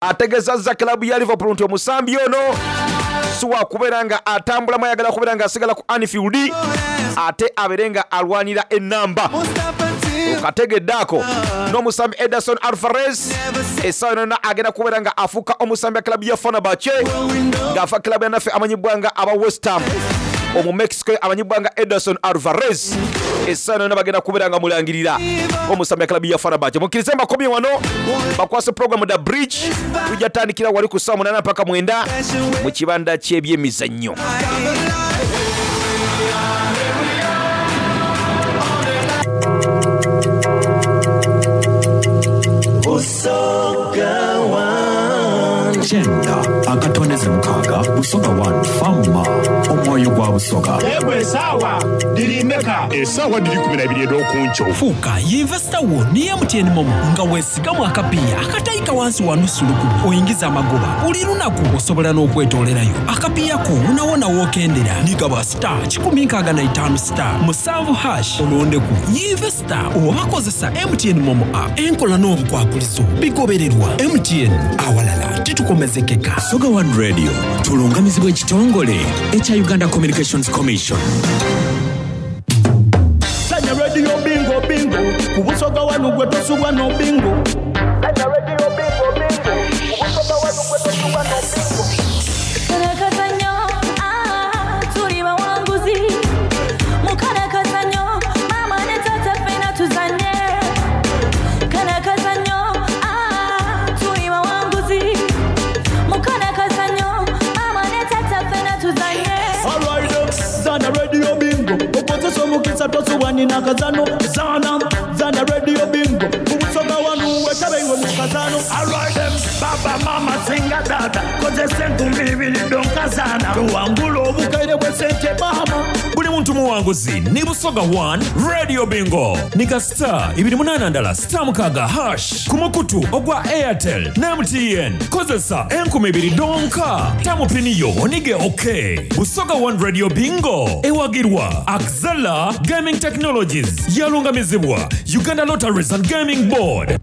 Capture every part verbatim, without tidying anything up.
Ategezazza club ya Liverpool nti omusambi ono si wakubeera nga atambulamu, ayagala kubeera nga asigala ku Anfield ate abeere nga alwanira enamba. Okategedde ako. N'omusambi Ederson Alvarez essaawa yonna agenda kubeera nga afuuka omusambi wa club ya Fenerbahce ng'afa club ya naffe amanyibwa nga aba West Ham. Omu Mexico amanyibwa nga Ederson Alvarez essaawa yonna bagenda kubeera nga mulangirira omusambi wa club ya Fenerbahce. Mukkirize mbakomye wano bakwase program The Bridge, tujja tandikira wali ku ssaawa munaana mpaka mwenda mu kibanda ky'ebyemizannyo. Busoga One. Kyenda akatondeze mukaaga Busoga One Fama omwoyo gwa Busoga. Yegwe esaawa diri meka? Esaawa diri kumi na ibiri ed'okunkyo. Fuuka yinvesita wo ne M T N Momo nga weesigamu akapiiya akatayika wansi wa nusu lukumi oyingiza amagoba buli lunaku, osobola n'okwetoolerayo akapiiya ko wonawona w'okendera. Nigaba star kikumi nkaaga na itaano star musanvu hash olondeku yinvesita oba kozesa M T N Momo app. Enkola n'obukwakulizo bigobererwa M T N, awalala titukomezekeka. Busoga One Radio tulungamizibwa ekitongole ekya Uganda Communications Commission. Sanya radio bingo bingo ku Busoga One gwe tosubwa no bingo. Sanya radio bingo bingo ku Busoga One gwe tosubwa no bingo. Karakazanyo, ah, tuli bawanguzi. Mukarakazanyo, mama ne tata ffena tuzanye. Karakazanyo, ah, tuli bawanguzi. Mukarakazanyo, mama ne tata ffena tuzanye. All right, zana radio bingo. Okozesa omukisa tosubwa nina kazano. Zana, zana radio bingo. Ku Busoga One wetabe iwe mu kazano. All right, them, baba mama singa tata. Kozesa enkumbi ibiri donkazana. Tuwangula obukaire bw'essente mama. Buli muntu muwanguzi ni Busoga One Radio Bingo. Nika star ibiri munana ndala star mukaaga hash ku mukutu ogwa Airtel ne M T N. Kozesa enkumi ibiri donka. Tamu pini yo onige okay. Busoga One Radio Bingo ewagirwa Axela Gaming Technologies, yalungamizibwa Uganda Lotteries and Gaming Board.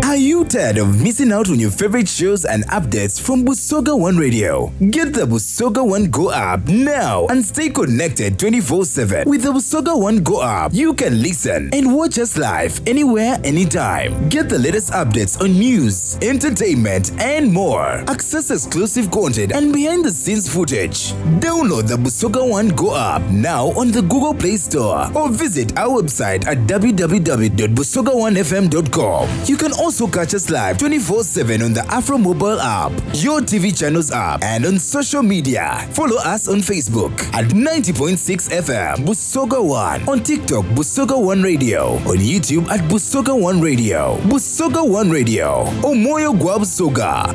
Are you tired of missing out on your favorite shows and updates from Busoga One Radio? Get the Busoga One Go app now and stay connected twenty-four seven. With the Busoga One Go app, you can listen and watch us live anywhere, anytime. Get the latest updates on news, entertainment, and more. Access exclusive content and behind-the-scenes footage. Download the Busoga One Go app now on the Google Play Store or visit our website at w w w dot busoga one f m dot com. You can also catch us live twenty-four seven on the Afro mobile app, your T V channels app, and on social media. Follow us on Facebook at ninety point six F M Busoga One, on TikTok Busoga One Radio, on YouTube at Busoga One Radio. Busoga One Radio, Omoyo gwa Busoga.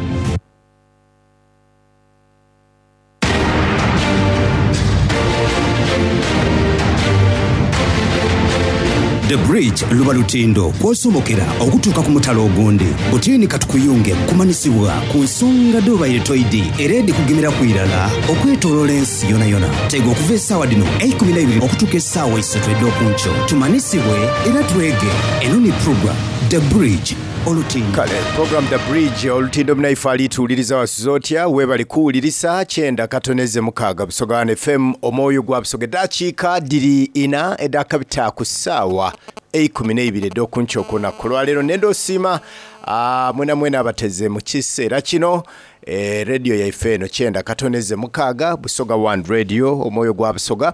The Bridge luba lutindo kw'osomokera okutuuka ku mutalo ogundi. Butiini katukuyunge kumanisibwa ku nsonga dobaire toidi era edikugemera ku irala okwetooloola ensi yona yona. Tega okuva essaawa dino eikumi na ibiri okutuuka essaawa esatu ed'okunkyo. Tumanisibwe era twege. Eno ni program The Bridge olutindo. Kale, program The Bridge olutindo munaife alituwuliriza wasuze otya? Weebale kuwulirisa kyenda katoneze mukaaga Busoga One F M omwoyo gwa Busoga. Eddakiika ddiri ina edakabita ku ssaawa eikumi n'ebiri ed'okunkyo olunaku lwaleero. Nenda osiima, ah, mwena mwena abateze mu kiseera kino. Eh, radio yaife eno kyenda katoneze mukaaga Busoga One Radio omwoyo gwa Busoga.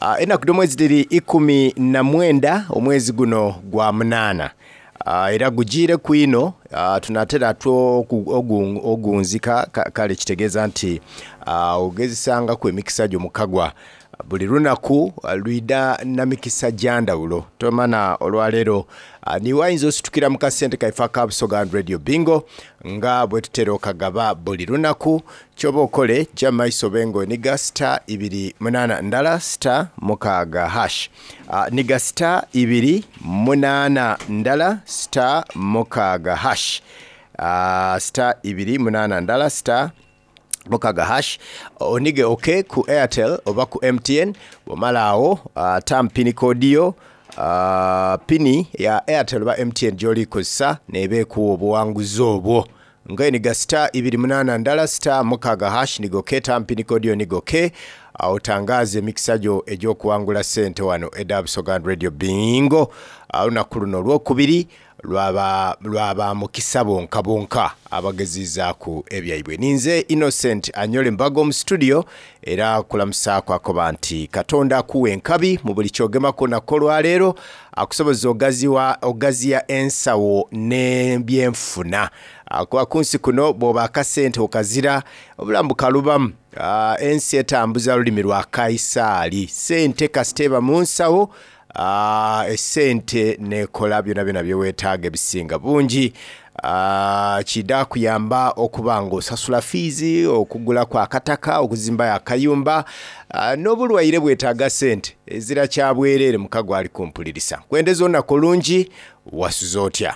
Ah, ennaku dh'omwezi dhiri ikumi na mwenda omwezi guno gwa munaana. Ah, era gugiire ku ino, ah, tunatera two ogu-, ogu-, ogunzika, ka-, kale kitegeeza nti, ah, ogezesangaku emikisa gyo mukagwa buli lunaku, ah, lwida na mikisa gya ndawulo. Tomana olwaleero, ah, niwe ayinza ositukira mu kasente kaife aka Busoga Radio Bingo nga bwe tutera okagaba buli lunaku. Kyoba okole jja mu maiso bengo niga star ibiri munaana ndala star mukaaga hash. Ah, niga star ibiri munaana ndala star mukaaga hash. Ah, star ibiri munaana ndala star mukaaga hash. Onige okay ku Airtel oba ku M T N. Bw'omala awo, ah, tampini kodiyo, uh, pini ya Airtel oba M T N gy'oli kozesa neeba ekuwa obuwanguzi obwo nga eniga star ibiri munana ndala star mukaga hash nigoke tampini kodiyo nigoke otangaze emikisa gyo egy'okuwangula ssente wano eda Busoga Radio Bingo. Olunaku luno olwokubiri lwaba lwaba mukisa bonka bonka abagezizaaku ebyaibwe. Ninze Innocent Anyole Mbago mu studio, era kulamusaako akoba nti Katonda akuwa enkabi mu buli kyogemako nako olwaleero, akusoboza ogaziwa ogaziya ensawo n'ebyenfuna, kuba kunsi kuno bw'oba akasente okazira obulamu bukalubamu. Ah, ensi etambuza lulimi lwa Kaisaali, sente kasiteeba mu nsawo, ah, esente nekola byona byona byeweetaaga ebisinga bungi. Ah, kida kuyamba okuba nga osasula fiizi, okugulaku akataka, okuzimbayo akayumba, ah, n'obulwaire bwetaaga sente ezira kyabwereere. Mukago ali kumpulirisa, nkwendeza olunaku olungi. Wasuza otya?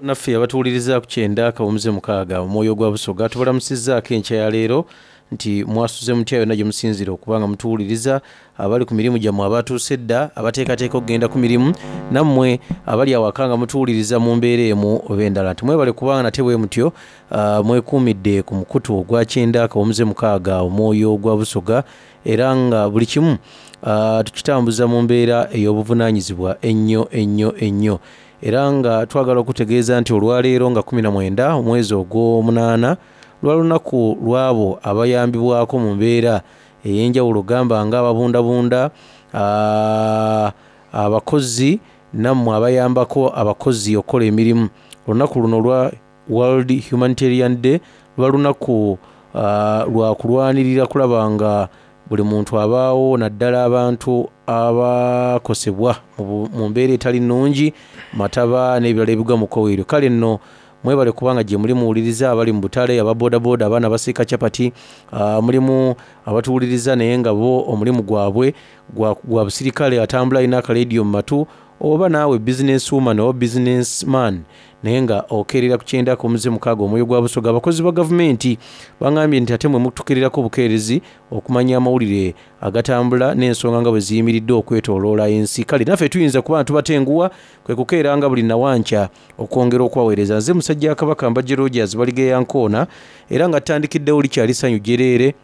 Naffe abatuwuliriza ku kyenda akawumuze mukaaga Omwoyo gwa Busoga, tubalamusizzaako enkya ya leero nti mwasuze mutya yonna gye musinzira okuba nga mutuwuliriza, abali ku mirimu gyammwe, abatuuse edda, abateekateeka okugenda ku mirimu, nammwe abali awaka nga mutuwuliriza mu mbeera emu oba endala, nti mwebale kubanga nate bwe mutyo ah, mwekuumidde ku mukutu ogwa kyenda akawumuze mukaaga Omwoyo gwa Busoga, era nga buli kimu ah, tukitambuza mu mbeera ey'obuvunaanyizibwa ennyo ennyo ennyo. Era nga twagala okutegeeza nti olwaleero nga kumi na mwenda omwezi ogw'omunaana lwa lunaku lw'abo abayambibwako mu mbeera ey'enjawulo, gamba nga ababundabunda, ah, abakozi, nammwe abayambako abakozi okukola emirimu. Olunaku luno lwa World Humanitarian Day lwa lunaku ah, lwa kulwanirira kulaba nga buli muntu abaawo, naddala abantu abakosebwa mu bu- mu mbeera etali nnungi, mataba n'ebirala ebigwa mu kkowe eryo. Kale nno mwebale kubanga gye muli muwuliriza, abali mu butale, ababoodabooda, abaana basiika capati, ah, mulimu abatuwuliriza naye nga bo omulimu gwabwe gwa, gwa busirikale, atambula alina akalediyo mu matu, oba naawe business woman oba business man naye nga okeerera ku kyenda ku mukaaga Omwoyo gwa Busoga. Abakozi ba gavumenti baŋambye nti ate mwe mutukeererako obukeerezi okumanya amawulire agatambula n'ensonga nga bwe ziyimiridde okwetooloola ensi. Kale naffe tuyinza kuba nga tubatenguwa kwe kukeeranga buli nawankya okwongera okubaweereza. Nze musajja wa Kabaka Mbajje Rogers Baligeya Nkoona, era nga tutandikiddewo likyali ssanyu jjereere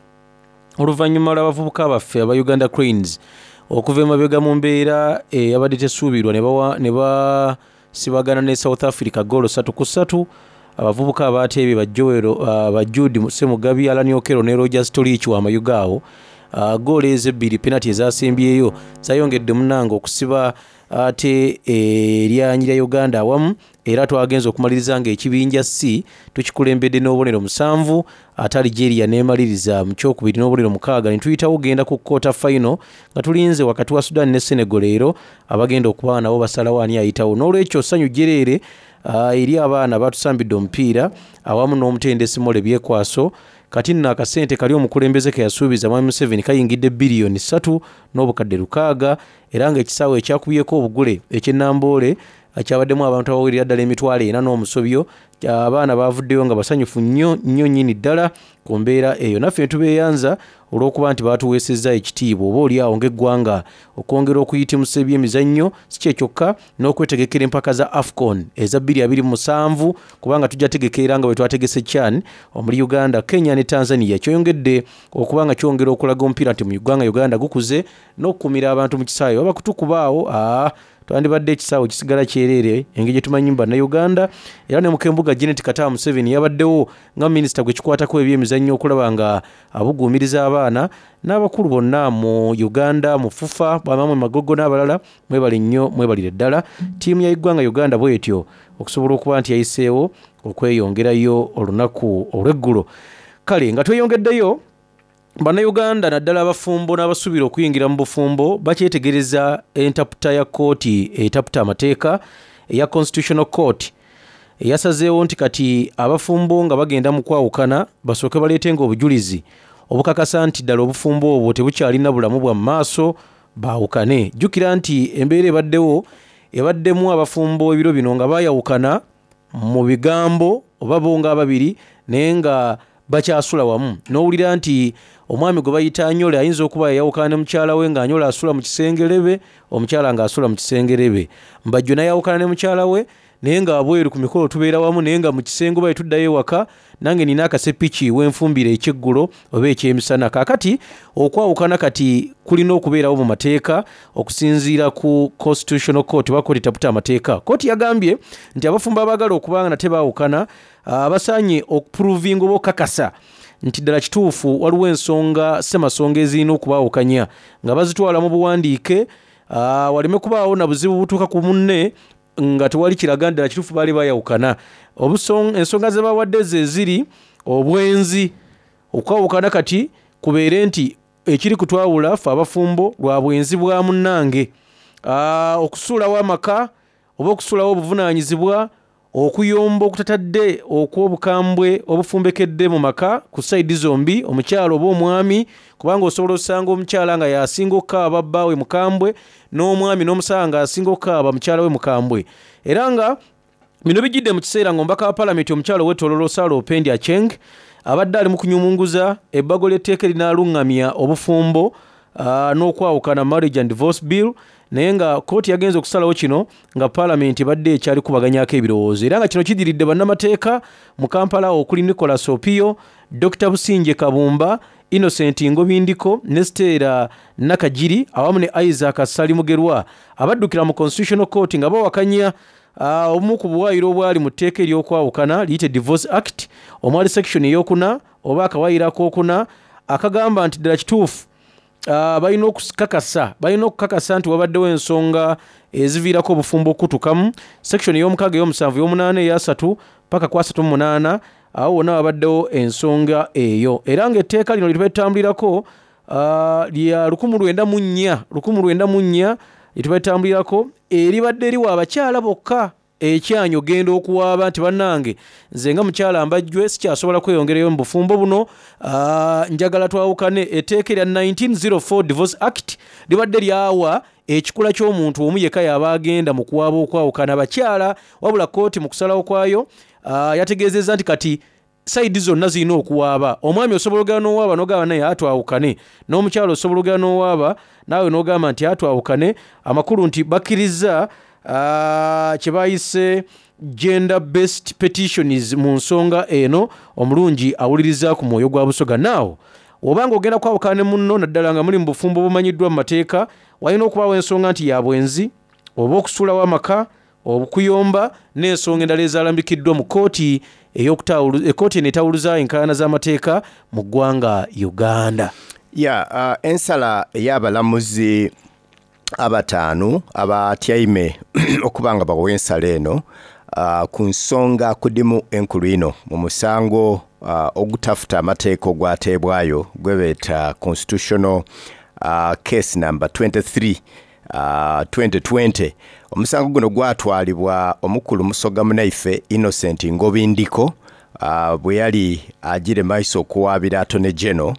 oluvannyuma lw'abavubuka baffe aba Uganda Cranes okuva emabega mu mbeera eyabadde tesuubirwa ne bawa- ne basibagana ne South Africa goolo ssatu ku ssatu. Abavubuka abateebye ba Joel, uh, ba Jude Semugabi, Allan Okello ne Rogers Torich Wamayuga awo. uh, goolo ezo ebbiri penalty ezasembyeyo zayongedde munnange okusiba ate eryanyi lya Uganda awamu, era twagenza okumaliriza nga ekibinja C tukikulembedde n'obubonero musanvu, ate Algeria neemaliriza mu kyokubiri n'obubonero mukaaga, ne tuyitawo genda ku quarter final nga tulinze wakati wa Sudan ne Senegal leero abagenda okuba nabo basalawo ani ayitawo. N'olwekyo ssanyu jjereere uh, eri abaana batusambidde omupiira awamu n'omutendesi Morley Byekwaso. Kati nno akasente kali omukulembeze ke yasuubiza Mwami Museveni kayingidde biliyoni ssatu n'obukadde lukaaga, era ng'ekisaawe ekyakubyeko obugule eky'e Namboole kyabaddemu abantu abawerera ddala emitwalo ena n'omusobyo. Abaana bavuddeyo nga basanyufu nnyo nnyo nnyini ddala ku mbeera eyo. Naffe tubeeyanza olw'okuba nti baatuweesezza ekitiibwa oba oli awo ng'eggwanga okwongera okuyitimusa ebyemizannyo, si kye kyokka n'okwetegekera empaka za AFCON eza bbiri abiri mu musanvu, kubanga tujja tegekera nga bwe twategese CHAN omuli Uganda, Kenya ne Tanzania. Kyeyongedde okuba nga kyongera okulaga omupiira nti mu ggwanga Uganda gukuze n'okukumira abantu mu kisaawe baba kutukubaawo aa twandibadde ekisaawe kisigala kyereere engeri gye tumanyi mu Bannayuganda. Era ne mukembuga Janet Kataaha Museveni yabaddewo nga minisita gwe kikwatako ebyemizannyo okulaba nga abuguumiriza abaana n'abakulu bonna mu Uganda mu FUFA, bamamwe Magogo n'abalala. Mwebale nnyo, mwebalire ddala ttiimu ya eggwanga Uganda bwetyo okusobola okuba nti yayiseewo okweyongerayo olunaku olw'eggulo. Kale nga tweyongeddeyo, Bannayuganda naddala abafumbo n'abasuubira okuyingira mu bufumbo bakyetegereza entaputa ya kkooti etaputa amateeka eya Constitutional Court eyasazeewo nti kati abafumbo nga bagenda mu kwawukana basooke baleetenga obujulizi obukakasa nti ddala obufumbo obwo tebukyalina bulamu bwa mu maaso, baawukane. Jjukira nti embeera ebaddewo ebaddemu abafumbo ebiro bino nga baayawukana mu bigambo oba bo nga ababiri, naye nga Bakyasula wamu, n'owulira nti omwami gwe bayita Anyole ayinza okuba yayawukana ne mukyala we, nga Anyole asula mu kisengerebe, omukyala ng'asula mu kisengerebe. Mbajjo nayawukana ne mukyala we, naye nga abweru ku mikolo tubeera wamu, naye nga mu kisenge oba tuddayo ewaka, nange nina akasepiki wenfumbira ekyeggulo oba ekyemisana. Kaakati okwawukana kati kulina okubeerawo mu mateeka okusinziira ku Constitutional Court oba kooti etaputa amateeka. Kooti yagambye nti abafumbo abaagala okuba nga nate baawukana basaanye okuprovinga oba okukakasa nti ddala kituufu waliwo ensonga ssemasonga ezirina okubaawukanya, nga bazitwala mu buwandiike, waleme kubaawo na buzibu butuuka ku munne nga tewali kiraga ddala kituufu baali bayawukana. Ensonga ze bawadde ze ziri obwenzi, okwawukana kati kubeere nti ekiri kutwawula ffe abafumbo lwa bwenzi bwa munnange, okusuulawo amaka oba okusuulawo obuvunaanyizibwa, okuyomba okutatadde okw'obukambwe obufumbekedde mu maka ku sayidi zombi, omukyala oba omwami, kubanga osobola osanga omukyala nga yasinga okukaaba bbaawe mukambwe, n'omwami n'omusanga nga asinga okukaaba mukyala we mukambwe. Era nga bino bijjidde mu kiseera ng'omubaka wa palamenti omukyala ow'e Sarah Opendi Acheng abadde ali mu kunyumunguza ebbago ly'etteeka erinaaluŋŋamya obufumbo n'okwawukana, Marriage and Divorce Bill, naye nga kooti yagenze okusalawo kino nga palamenti ebadde ekyali kubaganyako ebirowoozo. Era nga kino kidiridde bannamateeka mu Kampala okuli Nicholas Opio, Doctor Businje Kabumba, Innocent Ngobindiko ne Stella Nakajiri awamu ne Isaac Ssali Mugerwa abaddukira mu Constitutional Court nga bawakanya obumu ku buwaayiro obwali mu tteeka ery'okwawukana liyite Divorce Act, omwali section ey'okuna oba akawaayiro akookuna akagamba nti ddala kituufu balina okukakasa balina okukakasa nti wabaddewo ensonga eziviirako obufumbo okutukamu. Section ey'omukaaga, ey'omusanvu, ey'omunaana, eyasatu paka ku asatu mu munaana, awo wonna wabaddewo ensonga eyo. Era ng'etteeka lino lye tubatambulirako lya lukumu lwenda mu nnya lukumu lwenda mu nnya lye tubatambulirako, eribadde eriwa abakyala bokka ekyanyi ogenda okuwaaba nti bannange nze nga mukyala mbajjwe sikyasobola kweyongerayo mu bufumbo buno, njagala twawukane. Etteeka erya nineteen zero four Divorce Act libadde lyawa ekikula ky'omuntu omu yekka y'aba agenda mu kuwaaba okwawukana abakyala, wabula kkooti mu kusalawo kwayo yategeezezza nti kati sayidi zonna zirina okuwaaba. Omwami osobola ogenda n'owaaba n'ogamba naye atwawukane, n'omukyala osobola ogenda n'owaaba naawe n'ogamba nti atwawukane. Amakulu nti bakkiriza kye bayise gender based petitions mu nsonga eno. Omulungi awuliriza ku mwoyo gwa Busoga. Naawo obanga ogenda kwawukana ne munno, naddala nga muli mu bufumbo bumanyiddwa mu mateeka, walina okubaawo ensonga nti ya bwenzi oba okusuulawo amaka, okuyomba n'ensonga endala ezalambikiddwa mu kkooti ekkooti eno etawuluza enkaayana z'amateeka mu ggwanga Uganda. Ya uh, ensala ey'abalamuzi abataano abatyaime okuba nga bawa ensala eno uh, ku nsonga kudimu enkulu ino mu musango uh, ogutafuta amateeka ogwateebwayo gwe beeta Constitutional uh, Case number twenty-three uh, twenty twenty. Omusango guno gwatwalibwa omukulu Musoga munaife Innocent Ngobindiko uh, bwe yali agire maiso okuwaabira Attorney General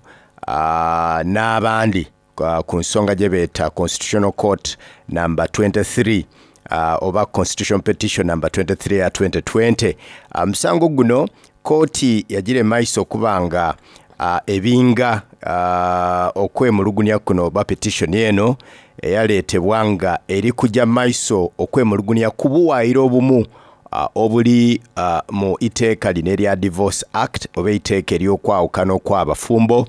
uh, n'abandi uh, ku nsonga gye beeta Constitutional Court number twenty-three uh, oba Constitution Petition number twenty-three ya twenty twenty. Omusango uh, guno kooti yagira maiso okuba nga uh, ebinga uh, okwemulugunya kuno oba petition eno eyaleetebwa nga eri kujja maiso okwemulugunya ku buwaayiro obumu uh, obuli uh, mu iteeka lino erya Divorce Act oba iteeka ery'okwawukana okw'abafumbo,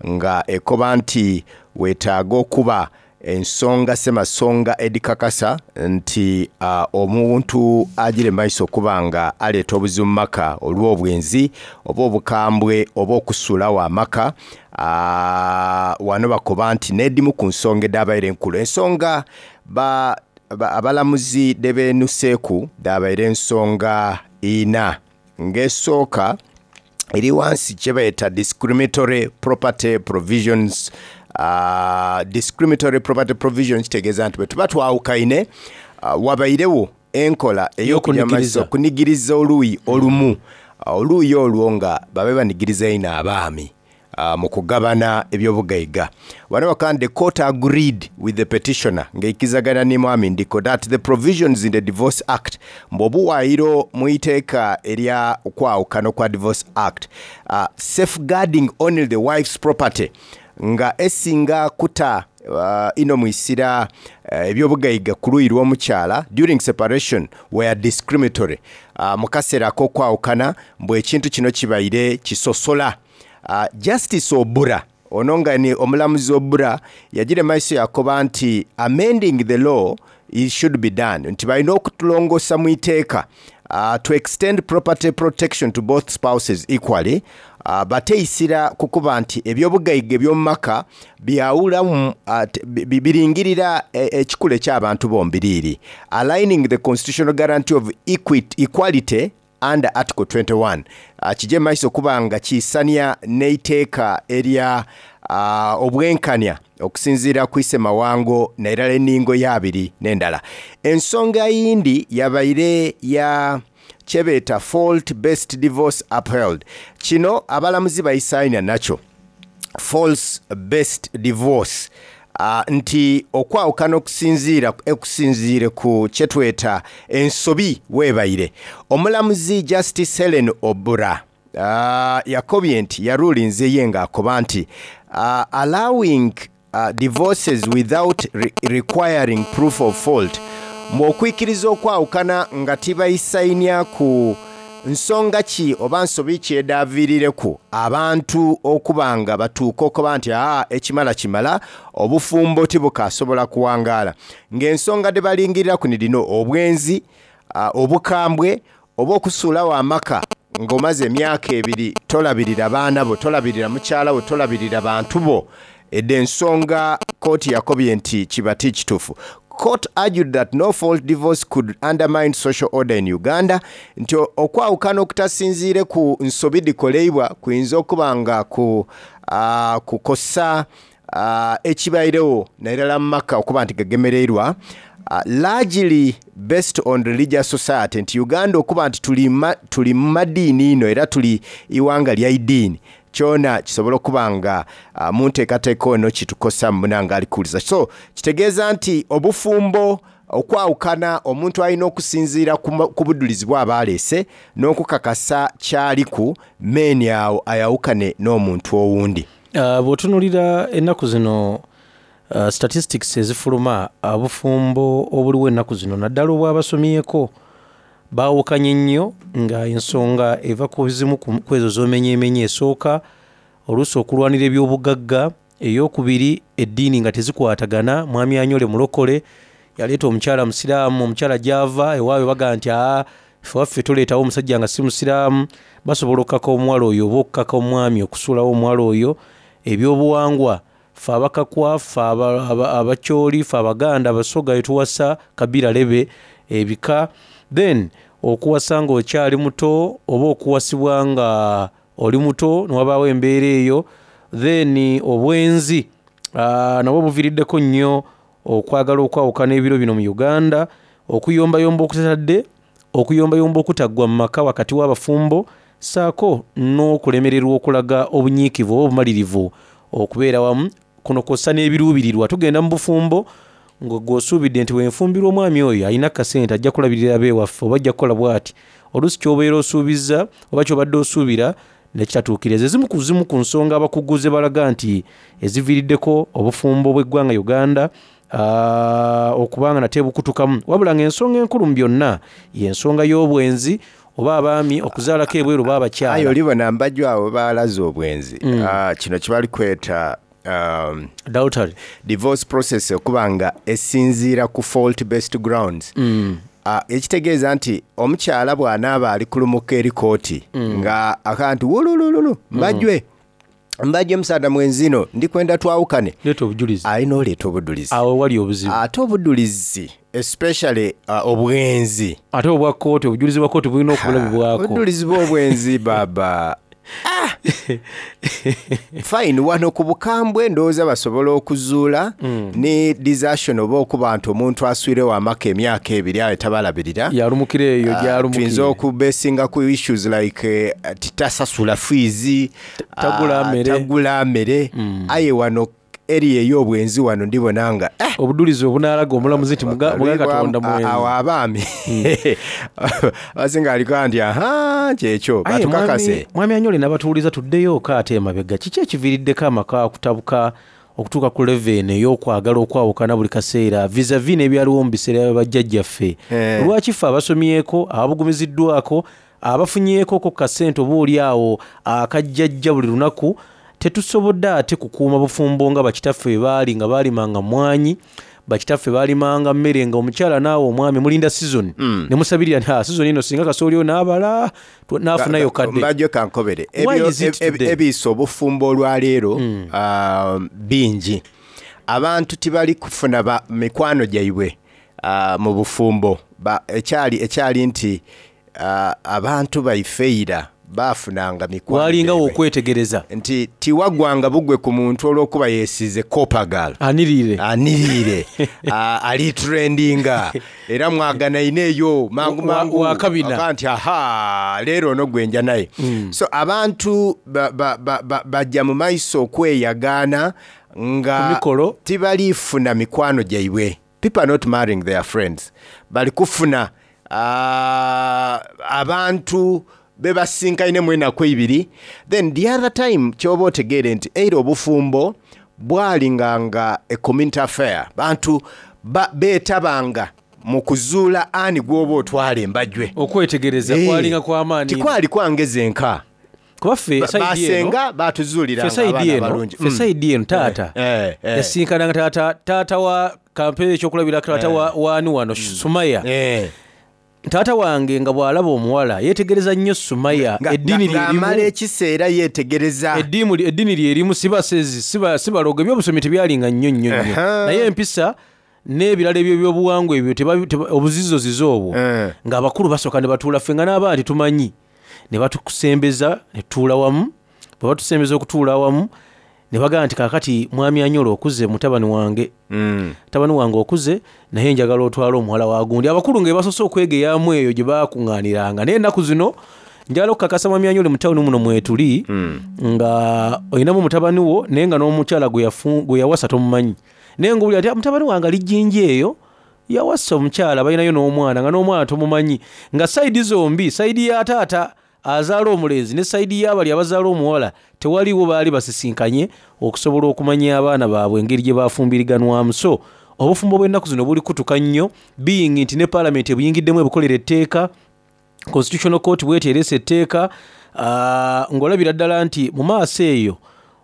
nga ekoba nti weetaaga okuba ensonga semasonga edikakasa nti uh, omuntu agire maiso okuba nga aleeta obuzibu mu maka olw'obwenzi oba obukambwe oba okusuulawo amaka. uh, wano bakoba nti n'edimu ku nsonga edabaire enkulu, ensonga ba, ba, abalamuzi debenuseeku dabaire ensonga ina, ng'esooka eri wansi kye bayita discriminatory property provisions. Uh, discriminatory property provisions kitegeeza nti bwe tuba twawukaine uh, wabairewo enkola ey'okujja maiso okunigiriza oluuyi olumu, uh, oluuyi olwo nga babe banigiriza ino abaami. uh, mu kugabana ebyobugaiga. Wano bakandi the court agreed with the petitioner, ng'eikizagana ni mwami Ndiko, that the provisions in the Divorce Act, mbu obuwaayiro mu iteeka erya okwawukana kwa Divorce Act, uh, safeguarding only the wife's property, nga esinga kuta uh, ino mwisira uh, ebyobugaiga ku luyi lw'omukyala during separation were discriminatory. uh, mu kaseera ak'okwawukana, mbwe ekintu kino kibaire kisosola. uh, justice Obura ono, nga ni omulamuzi Obura, yagira maiso yakoba nti amending the law it should be done, nti balina okutulongosa mu iteeka uh, to extend property protection to both spouses equally, uh, bateyisira kukuba nti ebyobugaiga ebyomumaka byawulamu, uh, biringirira ekikula eky'abantu bombiriiri, aligning the constitutional guarantee of equity, equality under Article twenty-one. uh, kijje maiso okuba nga kiisania n'eiteeka erya uh, obwenkanya okusinziira ku isemawango nairala enningo y'abiri n'endala. Ensonga yindi yabaire ya kyebeeta fault based divorce upheld. Kino abalamuzi bayisaayina nakyo, fault based divorce, uh, nti okwawukana okusinziira okusinziire ku kyetweta ensobi weebaire. Omulamuzi Justice Helen Obura uh, yakobye nti yarulinze ye ng'akoba nti uh, allowing uh, divorces without re requiring proof of fault, mwokwikiriza okwawukana nga tibayisainya ku nsonga ki oba nsobi ki edaaviirireku abantu okuba nga batuuka okuba nti aa ekimala kimala, obufumbo tibukasobola kuwangaala, ng'ensonga de balingirira ku nidino obwenzi, uh, obukambwe oba okusuulawo amaka ng'omaze emyaka ebiri tolabirira baana bo, tolabirira mukyala wo, tolabirira bantu bo. Edde ensonga kooti yakobye nti kiba ti kituufu. Court argued that no fault divorce could undermine social order in Uganda, nti okwawukana okutasinziire ku nsobi dikoleibwa kuyinza okuba nga ku uh, kukosa uh, ekibairewo nairala mu maka okuba nti gagemereirwa, uh, largely based on religious society, nti Uganda okuba nti tuli ma, tuli mu madiini ino era tuli iwanga lya idiini, kyona kisobola okuba nga uh, mu nteekateeka ono kitukosa munanga alikuwuliza. So kitegeeza nti obufumbo okwawukana omuntu alina okusinziira ku budulizi bw'aba aleese n'okukakasa kyaliku meeni awo ayawukane n'omuntu owundi. uh, bw'otunuulira ennaku zino, uh, statistics ezifuluma, obufumbo obuliwo ennaku zino naddala obwabasomyeko baawukanye nnyo, nga ensonga eva ku zimu ku ezo z'omenyeemenye. Esooka oluusi okulwanira ebyobugagga, eyokubiri eddiini nga tezikwatagana. Mwami Anyole mulokole yaleeta omukyala musiraamu, omukyala gy'ava ewaabwe bagaa nti aa ffe waffe toleetawo omusajja nga si musiraamu. Basobola okukaka omuwala oyo oba okukaka omwami okusuulawo omuwala oyo. Ebyobuwangwa, ffe Abakakwa, ffe Abakyoli, ffe Abaganda, Abasoga etuwasa kabira lebe ebika. Then okuwasa ng'okyali muto oba okuwasibwa nga oli muto newabaawo embeera eyo. Then obwenzi uh, nabwo buviiriddeko nnyo okwagala okwawukana ebiro bino mu Uganda. Okuyombayomba okutatadde, okuyombayomba okutaggwa mu maka wakati w'abafumbo, ssaako n'okulemererwa okulaga obunyiikivu oba obumalirivu okubeera wamu. Kuno kw'ossa n'ebiruubirirwa. Tugenda mu bufumbo nga gw'osuubidde nti wenfumbirwa omwami oyo alina kasente ajja kulabirira abeewaffe oba ajja kukola bw'ati, oluusi ky'obeera osuubizza oba ky'obadde osuubira nekitatuukiriza. Ezimu ku zimu ku nsonga abakugu ze balaga nti eziviiriddeko obufumbo bw'eggwanga Uganda uh, okubanga nate bukutukamu, wabula ng'ensonga enkulu mu byonna y'ensonga y'obwenzi oba abaami okuzaalako ebweru oba abakyala. Aye olibona mbajjo abo balaze obwenzi. mm. uh, kino kibali kweta um, adultery, divorce process okuba nga esinziira ku fault based grounds. mm. Uh, ekitegeeza nti omukyala bw'anaaba ali kulumuka eri kooti mm. nga akaa nti wululululu mbajjwe mm. mbajjwe musaada mwenzino ndikwenda twawukane, leeta obujulizi, alina oleeta obujulizi. Awo wali obuzibu. Ate obujulizi especially uh, obwenzi, ate obwa kooti, obujulizi bwa kooti bulina okulabibwako. Obujulizi bw'obwenzi baba ah! Fine, wano ku bukambwe ndowooza basobola okuzuula Mm. ne desertion, oba okuba nti omuntu aswirewo amaka emyaka ebiri aye tabalabirira. Yalumukira eyo. Ah, Gyalumukire. Tuyinza okubesinga ku issues like eh, titasasula fees, Tagula ah, mmere. tagula mmere. Aye wano eri ey'obwenzi, wano ndibona nga eh, Obudulizi obunaalaga omulamuzi nti muga muga Katonda awo mwenzi. abaami abasinga aliko nti aha, kyekyo. Aye, Batukakase. mwami- mwami Anyole n'abatuwuliza, tuddeyo ate emabega. Kiki ekiviiriddeko amaka okutabuka okutuuka ku level ey'okwagala okwawukana buli kaseera vis-a-vis n'ebyaliwo mu biseera bya bajjajjaffe? Eh. Lwaki ffe abasomyeko, ababugumiziddwako, abafunyeeko ku kasente oba oli awo akajjajja buli lunaku, tetusobodde ate kukuuma bufumbo nga bakitaffe bwe baali, nga baalimanga mwanyi, bakitaffe baalimanga mmere, nga omukyala naawe omwami mulinda season Mm. ne musabirira nti "Ah, season eno singa kasooli oyo n'abala tu- n'afunayo kadde." Mbajjo kankobere. Why Ebyo- is it eb- today? Ebiisa obufumbo olwaleero um, bingi. Abantu tibali kufuna ba mikwano gyaibwe uh, mu bufumbo. Ba- ekyali ekyali nti uh, abantu baifeira bafunanga mikwano Walingawo gyaibwe. okwetegereza. Nti tiwagwanga bugwe ku muntu olw'okuba yeesize copagal Anirire. Anirire. Ah, ali trendinga era mwaganaine eyo mangu Wa- mangu. Wakabina. Aka nti aha, leero ono gwenja naye. So abantu ba- ba- ba- ba- bajja mu maiso okweyagaana nga Ku mikolo. tibalifuna mikwano gyaibwe. People are not marrying their friends, bali kufuna ah, abantu bebasinkaine mu enaku ebiri. Then the other time kyoba otegeere nti eira obufumbo bwalinganga a community affair. Bantu ba- beetabanga mu kuzuula ani gwoba otwala embajwe. Okwetegereza Eh, kwalinga kwamaanyi. Tikwali kwangeza enka. Kuba ffe Ba- sayidi eno basenga ffe batuzuuliranga sayidi abaana eno abalungi. ffe Mm. sayidi eno taata Eh, eh. yasinkananga taata taata wa kampeera ekyokulabirako taata wa waani wano Sumaya. Eh. Taata wange nga bw'alaba omuwala yeetegereza nnyo Sumaya. Nga- Eddiini nga- ng'amala lyerimu ekiseera yeetegereza. Eddiini eddiini lyerimu, sibasezi, siba- sibalogo, ebyobusomi tebyalinga nnyo nnyo nnyo. Aha. Naye empisa n'ebirala ebyo ebyobuwangwa ebyo teba- teba- obuzizozizo obwo Eh. ng'abakulu basooka ne batuula ffe nga n'abaana tetumanyi ne batukusembeza ne tutuula wamu. Bwe batusembeza okutuula awamu ne bagamba nti kaakati mwami Anyola okuze, mutabani wange, Mm. mutabani wange okuze, naye njagala otwale omuwala wa gundi. Abakulu nga basoose okwegeyamu eyo gye bakuŋŋaaniranga. Naye ennaku zino njagala okukakasa mwami Anyole, mu tawuni muno mwetuli nga olinamu mutabani wo naye nga n'omukyala gwe yafu- gwe yawasa tomumanyi, naye nga owulira ati mutabani wange ali jjinja eyo yawasa omukyala, balinayo n'omwana, nga n'omwana tomumanyi, nga sayidi zombi, sayidi ya taata azaala omulenzi ne sayidi y'abali abazaala omuwala, tewaliwo baali basisinkanye okusobola okumanya abaana baabwe engeri gye bafumbiriganwamu. So obufumbo bw'ennaku zino buli kutuka nnyo, being nti ne paalamenti ebuyingiddemu ebukolera etteeka, Constitutional Court bweti ereese etteeka, ah, ng'olabira ddala nti mu maaso eyo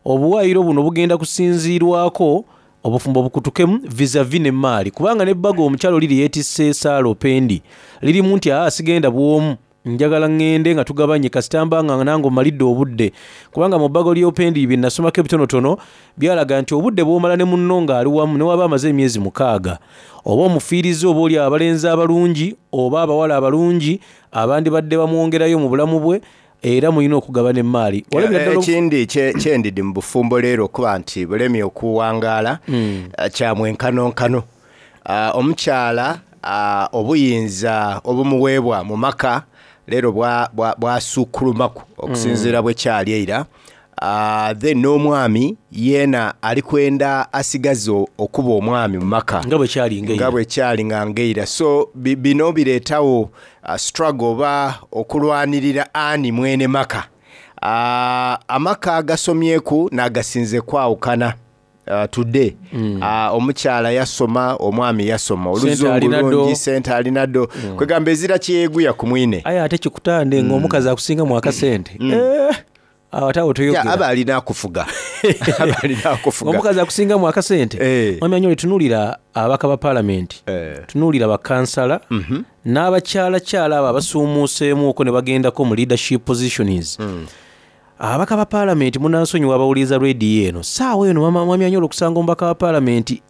obuwaayiro buno bugenda kusinziirwako obufumbo bukutukemu vis-a-vis n'emmaali, kubanga n'ebbago omukyalo liri yeetisse saala opendi lirimu nti aa, sigenda bw'omu, njagala ŋŋende nga tugabanye kasita mba nga nange omalidde obudde, kubanga mu bbago ly'opendi bye nasomako ebitonotono byalaga nti obudde bw'omala ne munno ng'ali wamu, ne waba amaze emyezi mukaaga, oba omufiiriza oba oli abalenzi abalungi oba abawala abalungi abandibadde bamwongerayo mu bulamu bwe, era mulina okugabana emmaali. Walabira ddala obu- Ekindi kye- kyendidi mu bufumbo leero okuba nti bulemye okuwangaala Hmm. eh, kyamwenkanonkano. Ah, omukyala ah, obuyinza obumuweebwa mu maka leero bwa- bwa- bwasuukulumaku okusinziira bwe kyali eira. Ah, then n'omwami yeena ali kwenda asigaze o- okuba omwami mu maka nga bwe kyali nga nga eira. bwe kyali nga ngeira. So bi- bino bireetawo uh, struggle oba okulwanirira ani mwene maka. uh, amaka agasomyeku n'agasinze kwawukana uh, today. mm. uh, omukyala yasoma, omwami yasoma, Sente oluzungu alina ddo. lungi, sente alina ddo, kwegamba ezira kyeyeguya ku mwine. Aye ate kikutande ng'omukazi akusingamu akasente. Eh, awo ate awo Ya, toyogera. aba alina akufuga, aba alina akufuga. Omukazi akusingamu akasente. Eh. Mwami Anyole, tunuulira ababaka ba paalamenti, Eh. tunuulira bakansala Mhm. n'abakyalakyala abo abasuumuuseemuuko ne bagendako mu leadership positions. Mm. Ababaka ba paalamenti, munansonyiwa abawuliriza rediyo eno saawa eno, mama- mwami Anyole, okusanga omubaka wa paalamenti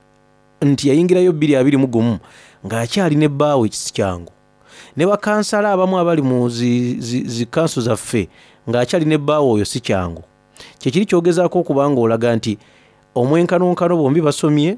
nti yayingirayo bbiri abiri mu gumu ng'akyali ne bbaawe ekisi kyangu, Ne bakansala abamu abali mu zi, zi, zi kanso zaffe ng'akyali ne bbaawe oyo si kyangu. Kyekiri kyogezaako okuba nga olaga nti omwenkanonkano bombi basomye,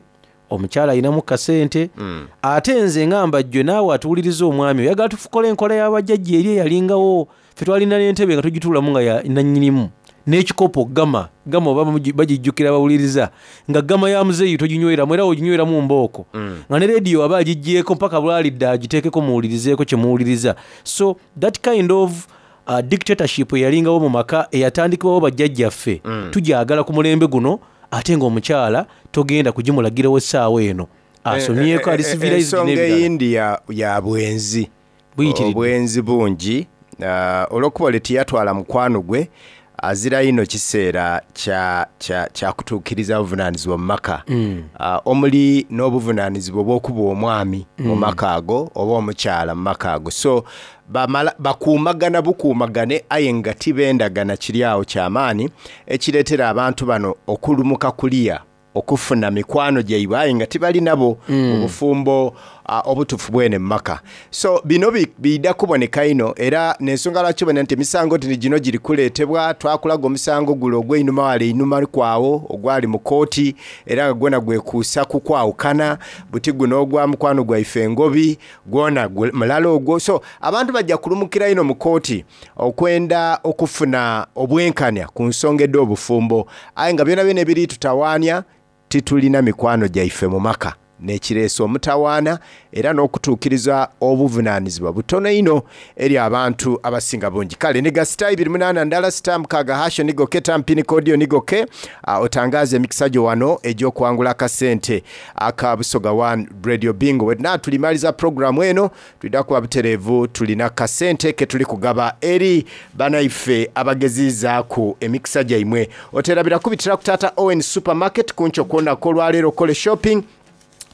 omukyala alinamu kasente Mm. Ate nze ngamba jjwe naawe atuwuliriza, omwami oyagala tukola enkola y'abajjajja eri eyalingawo. Ffe twalina n'entebe nga tugituulamu nga ya nannyinimu n'ekikopo gama gama, oba bagijjukira bawuliriza nga gama ya muzeeyi toginyweramu, era oginyweramu mbooko Mm. nga ne rediyo aba agiggyeko mpaka lwalidde agiteekeko muwulirizeeko kye muwuliriza. So that kind of uh, dictatorship eyalingawo mu maka eyatandikibwawo bajjajjaffe Mm. tugyagala ku mulembe guno, ate ng'omukyala togenda kugimulagirawo essaawa eno asomyeko, ali civilized Ensonga n'ebirala. eyindi ya, ya bwenzi. Buyitiridde. Obwenzi bungi. uh, olwokuba ole teyatwala mukwano gwe, azira ino kiseera kya, kya, kya kutuukiriza buvunaanyizibwa mu maka Mm. uh, omuli n'obuvunaanyizibwa obw'okuba omwami mu Mm. maka ago oba omukyala mu maka ago. So bamala bakuumagana bukuumagane, aye nga tibendagana. Kiri awo kyamaanyi ekireetera abantu bano okulumuka kuliya okufuna mikwano gyaibwe, aye nga tibali nabo Mm. mu bufumbo uh, obutuufu bwene mu maka. So bino bi- biyida kuboneka ino, era nensonga lwaki obona nti emisango tini gino giri kuleetebwa. Twakulaga omusango gulo ogw'einuma wala einuma kwawo ogwali mu kooti, era nga gwona gwekuusa ku kwawukana. Buti guno ogwa mukwano gwaife engobi gwona gu- mulala ogwo. So abantu bajja kulumukira ino mu kooti okwenda okufuna obwenkanya ku nsonga ed'obufumbo, aye nga byona byona ebiri tutawaanya titulina mikwano gyaife mu maka, nekireesa omutawaana era n'okutuukiriza obuvunaanyizibwa butono ino eri abantu abasinga bungi. Kale niga sita ibiri munaana ndala sita mukaaga hasho nigoke tampini kodiyo nigoke, uh, otangaze emikisa gyo wano egy'okuwangula akasente aka Busoga One Radio Bingo. Bwe tulimaliza programu eno tulina kuba butereevu, tulina kasente ke tuli kugaba eri banaife abagezizaaku emikisa gyaimwe. Oterabira kubitira ku Tata Owen Supermarket kunkyo kwonako olwaleero okole shopping.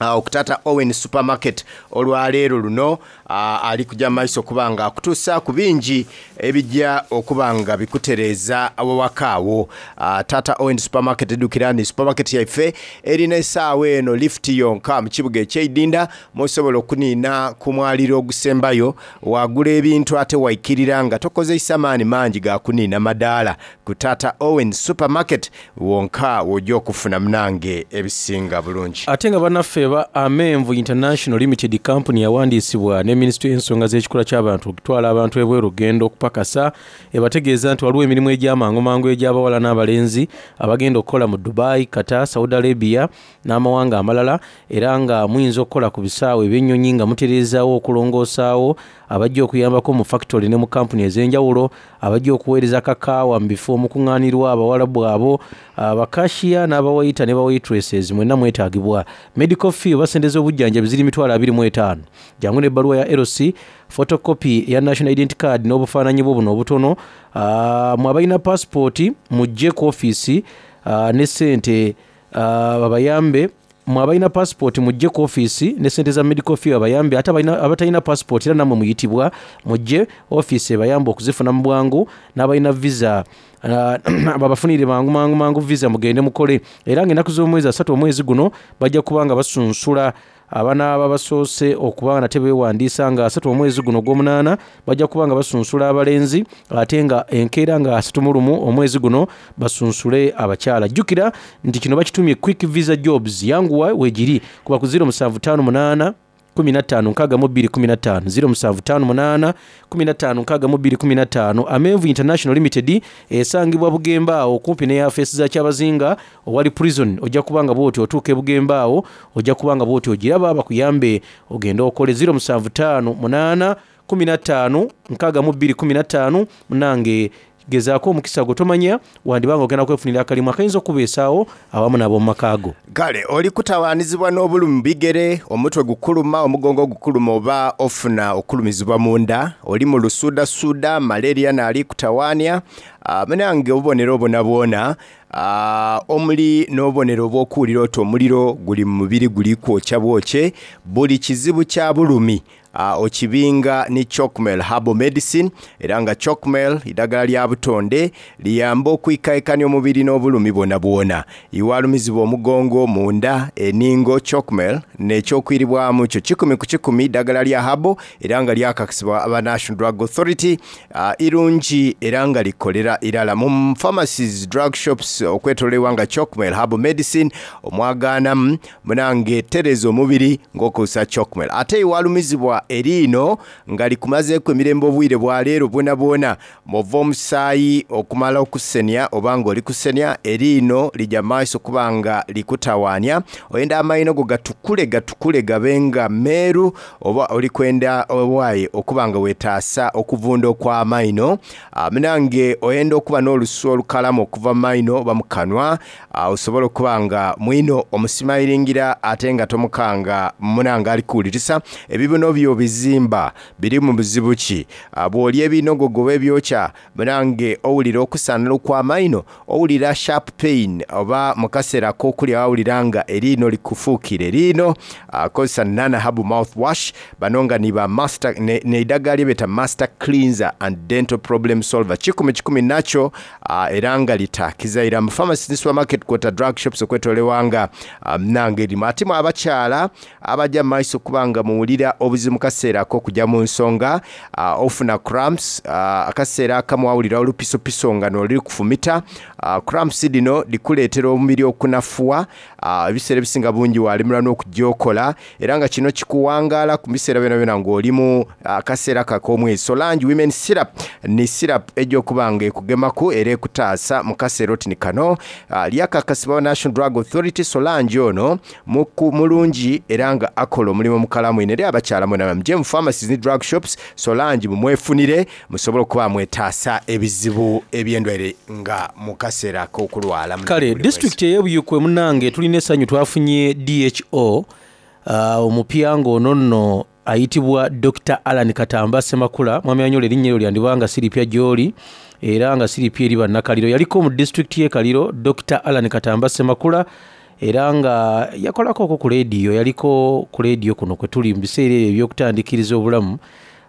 Uh, okutata Owen Supermarket olwaleero luno uh, ali kujja mumaiso okuba nga akutuusa ku bingi ebijja okuba nga bikutereeza awawaka awo. uh, tata Owen Supermarket edukira ni supermarket yaife erina essaawa eno lift yonka mu kibuga ekyeidinda, musobola okuniina ku mwaliro ogusembayo wagula ebintu ate waikirira nga tokozesa maani mangi gakuniina madaala. Ku Tata Owen Supermarket wonka wojja okufuna munange ebisinga bulungi. Ate nga bannaffe ba Amenvu International Limited Company yawandiisibwa ne minisitule y'ensonga z'ekikula ky'abantu okutwala abantu ebweru okugenda okupakasa, ebategeeza nti waliwo emirimu egy'amangumangu egy'abawala n'abalenzi abagenda okukola mu Dubai, Qatar, Saudi Arabia n'amawanga amalala, era nga muyinza okukola ku bisaawe ebyennyonyi nga mutereezaawo, okulongoosaawo, abajja okuyambako mu factory ne mu kampuni ez'enjawulo, abajja okuweereza kakaawa mu bifo omukuŋŋaanirwa abawalabu abo, abakashiya n'abawaita ne bawaitresses mwenna mwetaagibwa. Medical fee oba sente z'obujjanjabi ziri mitwalo abiri mu etaano. Jangu n'ebbaluwa ya L C, photocopy ya national identity card n'obufaananyi bwo buno obutono. Ah, mwe abalina passport mujje ku ofiisi ah, ne sente ah, babayambe. Mwe abalina passport mujje ku ofiisi ne sente za medical fee babayambe. Ate abalina- abatalina passport era nammwe muyitibwa, mujje ofiisi ebayambe okuzifuna mu bwangu. N'abalina visa ah, babafunire mangu mangu mangu visa mugende mukole. Era ng'ennaku z'omwezi asatu omwezi guno bajja kuba nga basunsula abanaaba basoose okuba nga nate beewandiisa. Nga asatu omwezi guno ogw'omunaana bajja kuba nga basunsula abalenzi, ate nga enkeera nga asatu mu lumu omwezi guno basunsule abakyala. Jjukira nti kino bakitumye quick visa jobs, yanguwa weegiri kuba ku zero musanvu ttaano munaana kumi na ttaano nkaaga mu bbiri kumi na ttaano, zero musanvu ttaano munaana kumi na ttaano nkaaga mu bbiri kumi na ttaano. Amenvu International Limited esangibwa Bugembe awo okumpi ne yafeesi za Kyabazinga owali prison. Ojja kuba nga bwoti otuuka e Bugembe awo, ojja kuba nga bwoti ogiraba bakuyambe ogende okole. zero musanvu ttaano munaana kumi na ttaano nkaaga mu bbiri kumi na ttaano. Munange gezaako omukisa gwo, tomanya wandibanga ogenda kwefunira akalimu akayinza okubeesaawo awamu n'ab'omu maka go. Kale oli kutawaanizibwa n'obulumi mu bigere, omutwe gukuluma, omugongo gukuluma, oba ofuna okulumizibwa munda, oli mu lusuudasuuda, malaria naali kutawaanya. Ah, munange obubonero obwo bwona, ah, omuli n'obubonero obw'okuwulira oti omuliro guli mu mubiri guli kwokya bwokye, buli kizibu kya bulumi. uh, okibinga ni Chocmel Herbal Medicine, era nga Chocmel idagala lya butonde liyamba okwikaikanya omubiri n'obulumi bwona bwona. Iwalumizibwa omugongo, munda, eningo, Chocmel n'ekyokwiribwamu kyo kikumi ku kikumi ddagala lya herbal era nga lyakakasibwa aba National Drug Authority, uh, irungi era nga likolera irala mu pharmacies, drug shops okwetoololebwa nga Chocmel Herbal Medicine omwagaanamu munange tereza omubiri ng'okozesa Chocmel. Ate iwalumizibwa eriino nga likumazeeku emirembe obwire bwa leero bwona bwona, mwova omusaayi okumala okusenya oba nga oli kusenya, eriino lijja maaso kuba nga likutawaanya. Oyenda amaino go gatukule gatukule gabe nga meeru, oba oli kwenda owaaye okuba nga weetaasa okuvunda okw'amaino. Ah, munange oyenda okuba n'olusu olukalamu okuva mu maino oba mu kanwa, ah, osobola okuba nga mwino omusimayiringira ate nga tomukanga munange ali kuwulirisa. Ebibuno byo bizimba biri mu buzibu ki? Ah, bw'olya ebinogogo oba ebyokya munange owulira okusaanala okw'amaino, owulira sharp pain oba mu kaseera ak'okulya wawulira nga eriino likufuukira eriino, ah, kozesa Nana Herbal Mouthwash. Bano nga ni ba master ne, ne eddagala lye beeta Master Cleanser and Dental Problem Solver kikumi kikumi nakyo, ah, era nga litaakizaira mu pharmacy ne supermarket kwota drug shops okwetoolebwa nga ah, nange erimu. Ate mu abakyala abajja mu maiso okuba nga muwulira obuzibu mu kaseera ak'okujja mu nsonga, ah, ofuna cramps, ah, akaseera akamu wawulira olupisopiso nga noliri kufumita. ah, cramps dino likuleetera omubiri okunafuwa, ah, ebiseera ebisinga bungi walemerwa n'okugyokola, era nga kino kikuwangaala ku biseera byona byona ng'oli mu akaseera kak'omwezi. Solange Women Syrup ni syrup ejja okuba nga ekugemaku era ekutaasa mu kaseera oti ni kano. ah, lyakakasibwa National Drug Authority. Solange ono muku mulungi era nga akola omulimu mukalamu ino eri abakyala mwena. Muje mu pharmacies ne drug shops, Solange mumwefunire musobole okuba mwetaasa ebizibu eby'endwaire nga mu kaseera k'okulwala. Kale disitulikiti ey'ebuyikwe munange tulina essanyu, twafunye D H O uh, omupya ng'ono nno ayitibwa Doctor Alan Katamba Semakula. Mwami Anyola, erinnya eryo lyandibanga siripya gy'oli era nga siripya eri bannakaliro. Yaliko mu disitulikiti y'e Kaliro, Doctor Alan Katamba Semakula, era nga yakolako okwo ku leediyo, yaliko ku leediyo kuno kwe tuli mu biseera ebyo ebyokutandikiriza obulamu.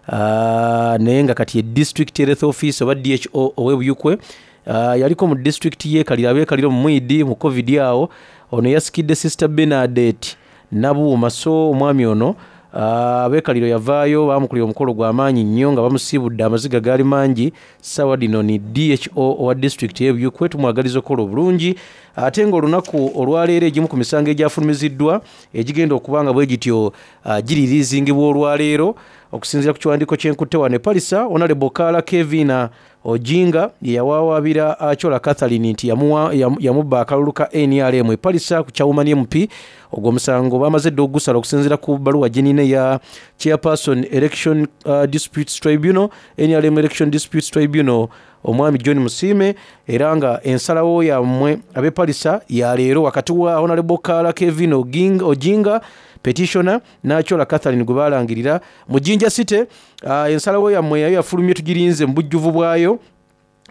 Ah, naye nga kati ye district health office oba D H O ow'ebuyukwe. Ah, yaliko mu disitulikiti y'e Kaliro, ab'e Kaliro mu mwidi mu COVID awo. Ono yasikidde Sister Bernadette Nabuuma. So omwami ono, ah, ab'e Kaliro yavaayo bamukulira omukolo gw'amaanyi nnyo nga bamusiibudde, amaziga gaali mangi. Sawa dino ni D H O owa disitulikiti y'ebuyukwe, tumwagaliza okukola obulungi. Ate ng'olunaku olwaleero egimu ku misango egyafulumiziddwa egigenda okuba nga bwe gityo uh, giririizingibwa olwaleero okusinziira ku kiwandiiko kyenkutte wano e Palisa, Honorable Kaala Kevina Ojinga ye yawawaabira Achola Catherine nti yamuwa- yamu- yamubba akalulu ka N R M e Palisa ku Kyawumani M P. Ogwo omusango bamaze dda okugusala okusinziira ku bbaluwa gyenina eya chairperson Election uh, Disputes Tribunal, N R M Election Disputes Tribunal, omwami John Musiime, era nga ensalawo yammwe ab'e Palisa ya leero wakati wa Honorable Kaala Kevin Oginga, Ojinga petitioner n'Achola Catherine gwe balangirira mu Jinja City. uh, ensalawo yammwe yayo yafulumye, tugirinze mu bujjuvu bwayo.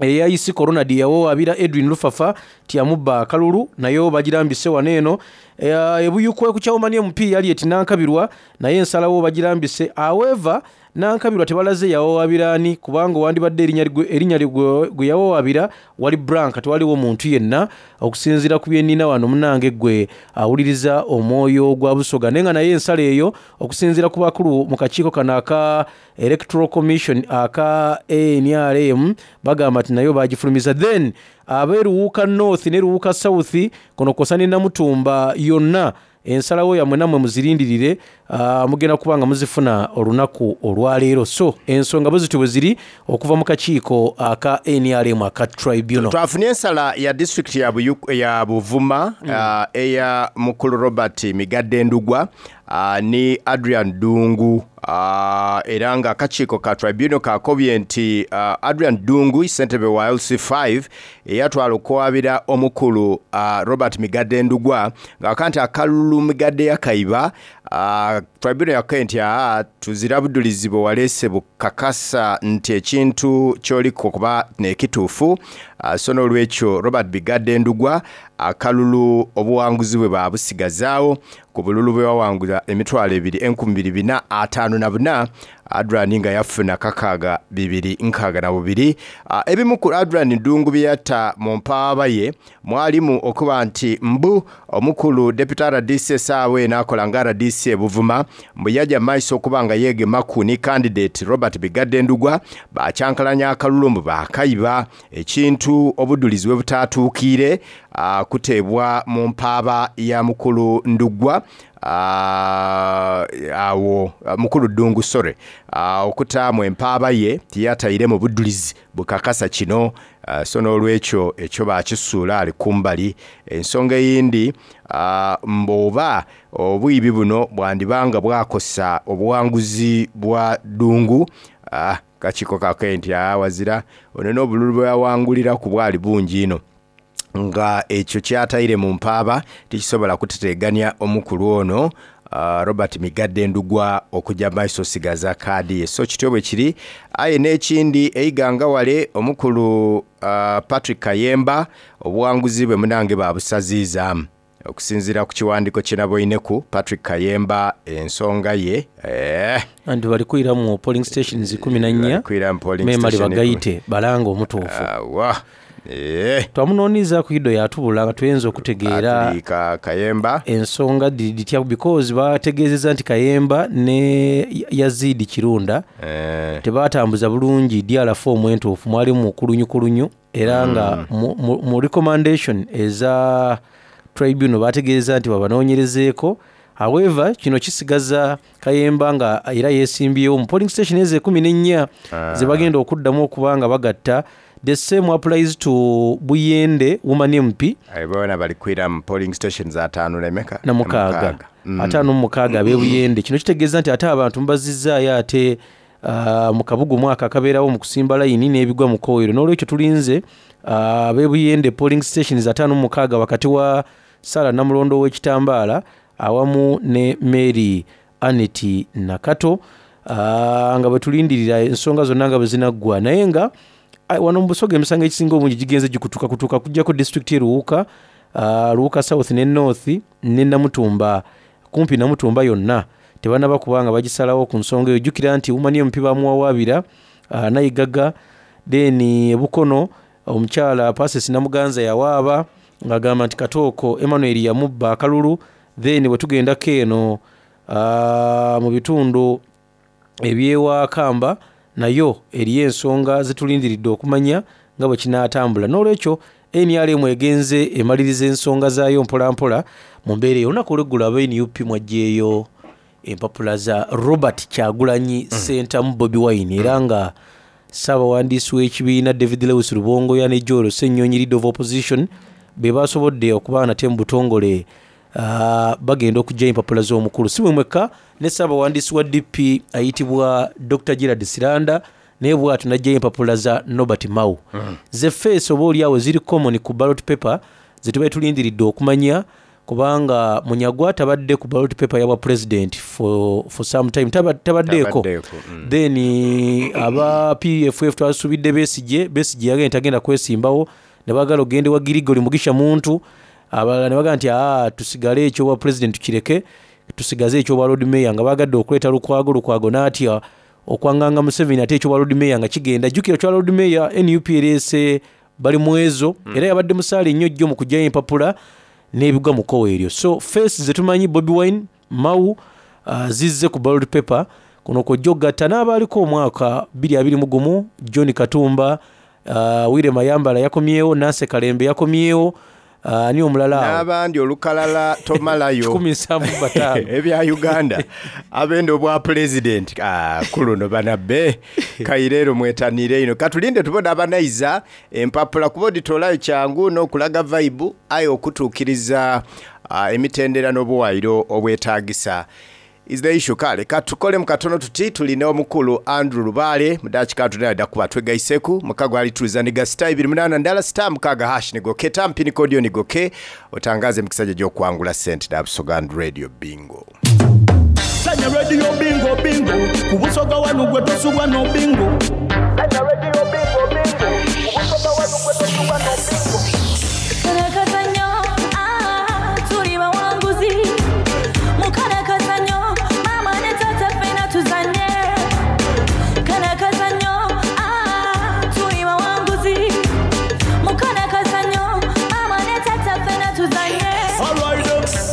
Eyayisi Ronald yawawaabira Edwin Lufafa tiyamubba akalulu, nayo bagirambise wano eno. Eh, ebuyukwe ku Kyawumani M P Yaliet Nankabirwa, naye ensalawo bagirambise. However, Nankabirwa tebalaze yawawaabiraani, kubanga wandibadde erinnya gwe- erinnya gwe gwe yawawaabira wali blank, tewaliwo muntu yenna okusinziira ku byennina wano. Munange gwe awuliriza omwoyo gwa Busoga, naye nga naye ensala eyo okusinziira ku bakulu mu kakiiko kano aka Electoral Commission aka N R M bagamba nti nayo bagifulumiza. Then ab'eruwuuka North ne Ruwuuka South kuno kwosa ne Namutumba yonna, ensalawo yammwe nammwe muzirindirire, uh, mugenda kuba nga muzifuna olunaku olwaleero. So ensonga bwe zityo bwe ziri okuva mu kakiiko aka N R M aka tribunal. Twafunye ensala ya disitulikiti ya, Buyu- ya Buvuma mm. uh, eya mukulu Robert Migadde Ndugwa uh, ni Adrian Dungu, uh, era nga akakiiko ka tribunal kakobye nti uh, Adrian Dungu, ssentebe wa L C five, eyatwala okuwabira omukulu uh, Robert Migadde Ndugwa ng'aka nti akalulu Migadde yakaiba, uh, Tribunal yakaye nti aa tuzira budulizi bwe waleese bukakasa nti ekintu kyoliko kuba nekituufu. uh, So n'olwekyo Robert Bigadde Ndugwa akalulu obuwanguzi bwe babusigazaawo ku bululu bwe wawangula emitwalo ebiri enkumi biri bina ataano na buna, Adrian nga yafuna kakaaga bibiri nkaaga na bubiri. uh, Ebimu ku Adrian Ddungu bye yatta mu mpaaba ye mwalimu okuba nti mbu omukulu Deputy R D C essaawa eno akola nga R D C e Buvuma, mbu yajja mu maiso okuba nga yeegemaku ni candidate Robert Bigadde Ndugwa bakyankalanya akalulu mbu baakayiba, ekintu obudulizi bwe butaatuukiire uh, kuteebwa mu mpaaba ya mukulu Ndugwa, uh, awo mukulu Ddungu sorry, uh, okutaamu empaaba ye tiyataire mu budulizi bukakasa kino. uh, So n'olwekyo ekyo bakisuula ali kumbali. Ensonga eyindi, uh, mboba obwibi buno bwandibanga bwakosa obuwanguzi bwa Ddungu, uh, kakiiko kake nti awazira ono n'obululu bwe yawangulira ku bwali bungi ino, nga ekyo kyataire mu mpaaba tikisobola kuteteganya omukulu ono uh, Robert Migadde Ndugwa okujja maiso sigaza kaadi ye. So kityo bwe kiri. Aye n'ekindi eiganga wale omukulu uh, Patrick Kayemba obuwanguzi bwe munange babusaziizaamu okusinziira ku kiwandiiko kye naboineku. Patrick Kayemba ensonga ye eh, anti bali kwira mu polling stations kumi na nnya, memali bagayite balanga omutuufu. uh, wa Eh. Twamunooniza ku ido yatubula nga tuyinza okutegeera Kayemba ensonga ditya, because bategeezezza nti Kayemba ne Yazidi Kirunda eh. tebatambuza bulungi D R form entuufu, mwalimu kulunyukulunyu era nga mm. mu, mu, mu recommendation eza tribunal bategeeza nti babanoonyerezeeko. However, kino kisigaza Kayemba nga era yeesimbyewo mu polling station ezo ekkumi n'ennya ah. ze bagenda okuddamu okuba nga bagatta. The same applies to Buyende woman M P. Abona bali kwira mu polling stations ataano lemeka na mukaaga. Mm. Ataano mu mukaaga abe Buyende. Kino kitegeeza nti ate abantu mbazizzaayo ate uh, mu kabugu mwaka akabeerawo mu kusimba layini n'ebigwa mu kkoweero. N'olwekyo tulinze abe uh, Buyende polling stations ataano mu mukaaga wakati wa Sara Namulondo w'ekitambaala awamu ne Mary Aneti Nakato, uh, nga bwe tulindirira ensonga zonna nga bwe zinaggwa. Naye nga wano mu Busoga emisango egisinga obungi gigenze gikutuka kutuka kujjako disitulikiti ye Luwuka, uh, Luwuka South ne North ne Namutumba, kumpi Namutumba yonna tebannaba kubanga bagisalawo ku nsonga eyo. Jjukira nti Woman M P bamuwawaabira uh, Nayigaga, then Bukono omukyala Pasis Namuganza yawaaba ng'agamba nti Katooko Emmanuel yamubba akalulu. Then bwe tugendako eno uh, mu bitundu ebyewakamba nayo eriyo ensonga zetulindiridde okumanya nga bwe kinaatambula. N'olwekyo N R M egenze emaliriza ensonga zaayo mpolampola mu mbeera eyo. Olunaku olweggulo aba N U P mwaggyeeyo empapula za Robert Kyagulanyi mm. Ssentamu Bobi Wine, era nga ssaabawandiisi w'ekibiina David Lewis Rubongoya ne Joel Ssenyonyi leader of opposition be basobodde okuba nate mu butongole uh, bagenda okuggyayo empapula z'omukulu. Si mwe mwekka, ne ssaabawandiisi wa D P ayitibwa Doctor Gerald Siranda naye bw'atyo n'aggyayo empapula za Norbert Mao. Mm. Ze face oba oliawo ziri common ku ballot paper ze tubaye tulindiridde okumanya, kubanga Munyagwa tabadde ku ballot paper ya bwa president for, for some time tabaddeeko. Mm. Then aba P F F twasubidde Besigye, Besigye yagenda tagenda kwesimbawo, ne baagala ogende wa Girigoli Mugisha Muntu, abalala ne bagamba nti aa tusigale ekyobwa president tukireke, tusigaze ekyobwa Lord Mayor, nga baagadde okuleeta Lukwago, Lukwago n'atya okwanganga Museveni ate ekyobwa Lord Mayor nga kigenda. Jjukira kya Lord Mayor N U P ereese bali mwezo, mm. era yabadde musaale nnyo jjo mu kuggyayo empapula n'ebigwa mu kkowe eryo. So face ze tumanyi Bobi Wine, Mao uh, zizze ku ballot paper kuno kw'ojja okugatta n'abaaliko omwaka bbiri abiri mu gumu John Katumba, uh, Wire Mayambala yakomyewo, Nancy Kalembe yakomyewo, ani uh, omulala awo n'abandi olukalala tomalayo kikumi nsanvu bataano ebya Uganda abenda obwa president ah, kuluno banabbe kaireero mwetanire ino. Katulinde tubona abanaiza empapula kuba oditolayo kyangu n'okulaga vibe aye okutuukiriza uh, emitendera n'obuwayiro obwetaagisa is the issue. Kale katukole mukatono tuti tulina omukulu Andrew Lubaale mudakika tunada kuba twegaiseku mukago alituliza niga star ibiri munana ndala star mukaga hash nigoke tampini kodio nigoke otangaze mukisajja gy'okwangula sente da Busoga Radio Bingo. Zanya Zana radio bingo bingo ku Busoga wanu gwe tosubwa no bingo. Zana radio bingo bingo ku Busoga wanu gwe tosubwa no bingo. Kano ah, tuli bawanguzi. Mukana kazanyo, mama ne tata ffena tuzanye. Kano kazanyo, ah, tuli bawanguzi. Mukana kazanyo, mama ne tata ffena tuzanye. Alright,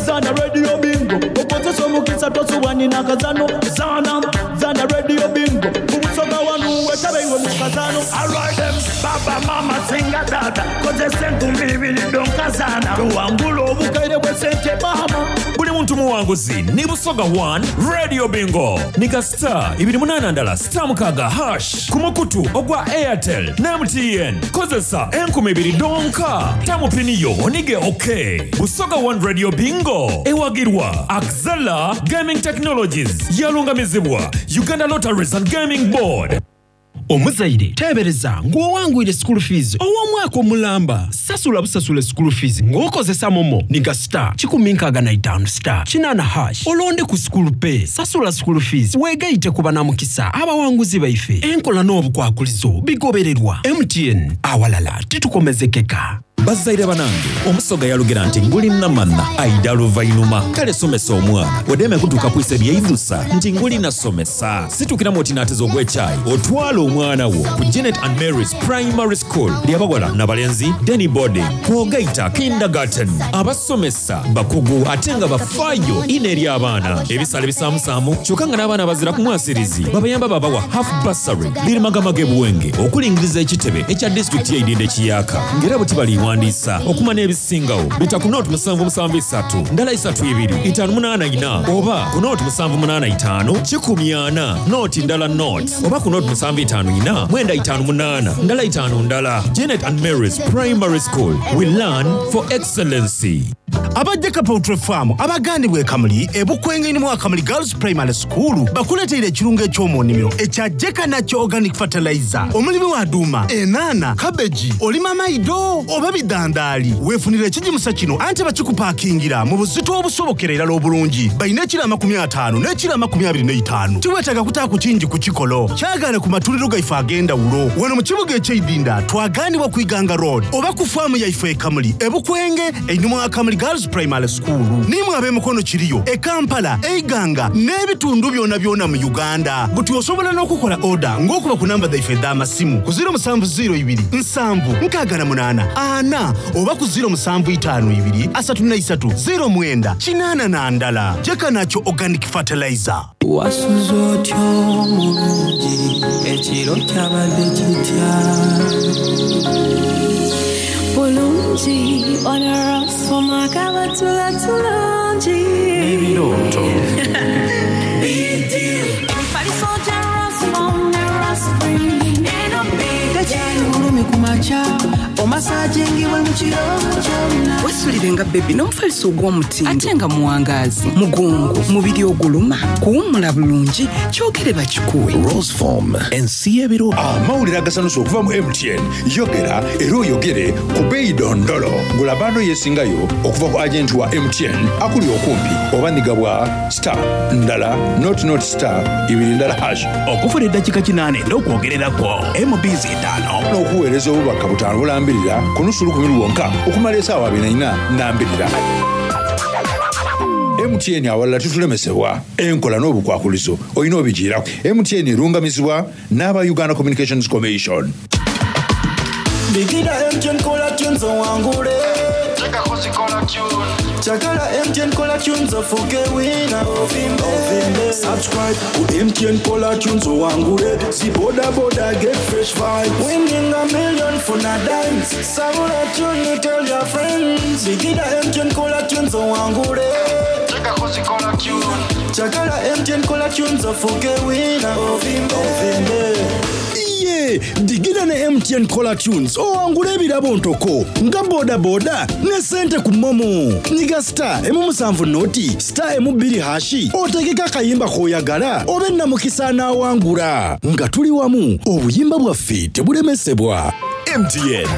zana radio bingo okozesa omukisa tosubwa nina kazano. Zana zana radio bingo ku Busoga wanu wetabe iwe mu kazano. Alright, baba mama singa tata kozesa enkumi ibiri donkazana tuwangula obukaire bwe sente mama. Buli muntu muwanguzi ni Busoga one Radio Bingo nika star ibiri munana ndala star mukaga hash ku mukutu ogwa Airtel ne M T N kozesa enkumi ibiri donka tamupiniyo onige okay. Busoga one Radio Bingo ewagirwa Axela Gaming Technologies yalungamizibwa Uganda Lotteries and Gaming Board. Omuzaire teebereza ng'owangwire school fees ow'omwaka omulamba sasula busasula school fees ng'okozesa momo niga star kikumi nkaaga na itaano star kinaana hash olonde ku school pay sasula school fees weegayite ku banamukisa abawanguzi baife enkola n'obukwakulizo bigobererwa M T N awalala titukomezekeka. Bazaire banange omusoga yalugera nti nguli namana aida luvainuma kale somesa omwana odeme kutuuka kwisa ebyeidusa nti nguli nasomesa situkiramu oti naateza ogw'ekyayi otwala omwana wo ku Janet and Mary's Primary School lyabawala n'abalenzi Denny boarding kwogaita kindergarten abasomesa bakugu ate nga bafaayo ina eri abaana ebisale bisaamusaamu kyokka nga n'abaana bazira ku mwasirizi babayamba babawa half bursary birimagamaga ebuwenge okulingiriza ekitebe ekya disitulikiti y'eidinda ekiyaka ng'era bwe tibaliiwa ndisa okuma n'ebisingawo bita ku nooti musanvu musanvu isatu ndala isatu ibiri itaano munaana ina oba ku nooti musanvu munaana itaano kikumi ana nooti ndala nooti oba ku nooti musanvu itaano ina mwenda itaano munaana ndala itaano ndala. Janet and Mary's Primary School, we learn for excellency. Abajjeka Poultry Farm abagandibwa ekamuli ebukwenge mu Akamuli Girls Primary School bakuleteera ekirungo eky'omu nnimiro ekya Jeka Nakyo Organic Fertilizer. Omulimi wa duuma, enaana, kabeji, olima maido oba bidandaali weefunira ekigimusa kino anti bakikupaakingira mu buzito obusobokera erala obulungi. Balina ekiro amakumi ataano n'ekiro amakumi abiri n'etaano. Tiweetaaga kutaako kingi ku kikolo kyagaane ku matuliro gaife ag'endawulo. Wano mu kibuga eky'eidinda twagaanibwa ku Iganga Road oba ku faamu yaife ekamuli ebukwenge einuma Akamuli Girls Primary School. Nimwe ab'emikono kiriyo e Kampala, Eiganga n'ebitundu byonna byonna mu Uganda. Buti osobola n'okukola oda ng'okuba ku namba zaife ez'amasimu ku ziro musanvu ziro ibiri nsanvu nkaaga na munaana ana oba ku ziro musanvu itaano ibiri asatu na isatu ziro mwenda kinaana na ndala. Jeka Nakyo Organic Fertilizer. Wasuze otya omulungi ekiro kyabadde kitya? Bulungi onarasoma kabatula tulungi ebirooto emifaliso gya Rasmom ne Raspring eno tekyali bulumi ku makya omasajingibwe mu kiro kyonna. Wesulire nga bebi n'omufaliso ogw'omutindo ate nga muwangaazi mugongo mubiri oguluma kuwummula bulungi kyogere bakikuwe. Roseform ensi y'ebiro. Amawulire agasanusa okuva mu M T N yogera era oyogere ku bbeeyi dondolo gula bando yeesingayo okuva ku agenti wa M T N akuli okumpi oba nigabwa star ndala not not star ibiri ndala hash okufuna eddakiika kinaana n'okwogererako M Bs etaano n'okuweereza obubaka butaano bulambirira ku nusu lukumi lwonka okumala essaawa abiri na nnya nambirira. M T N awalala tutulemesebwa enkola n'obukwakulizo olina obigiirako. M T N erungamizibwa n'aba Uganda Communications Commission. Bigida M T N kola tunes owangule. Chakala M T N kola tunes ofuke wina. Ovimbe. Subscribe ku M T N kola tunes owangule. Si boda boda get fresh vibes. Winning a million for na dimes. Sabula tune tell your friends. Bigida M T N kola tunes owangule. Chakala M T N kola tunes ofuke wina. Ovimbe. Ovimbe. Iye, digida ne M T N Kola Tunes owangula ebirabo ntoko nga boda boda ne sente ku momo. Nyiga star emu musanvu noti star emu bbiri hashi otegeka akayimba k'oyagala obe namukisa anaawangula. Nga tuli wamu obuyimba bwaffe tebulemesebwa. M T N.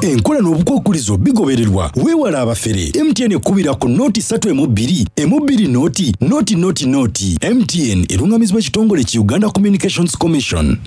Enkola n'obukwakulizo bigobererwa. Weewala abafere. M T N ekubira ku nooti ssatu emu bbiri emu bbiri nooti nooti nooti nooti. M T N erungamizibwa ekitongole ki Uganda Communications Commission.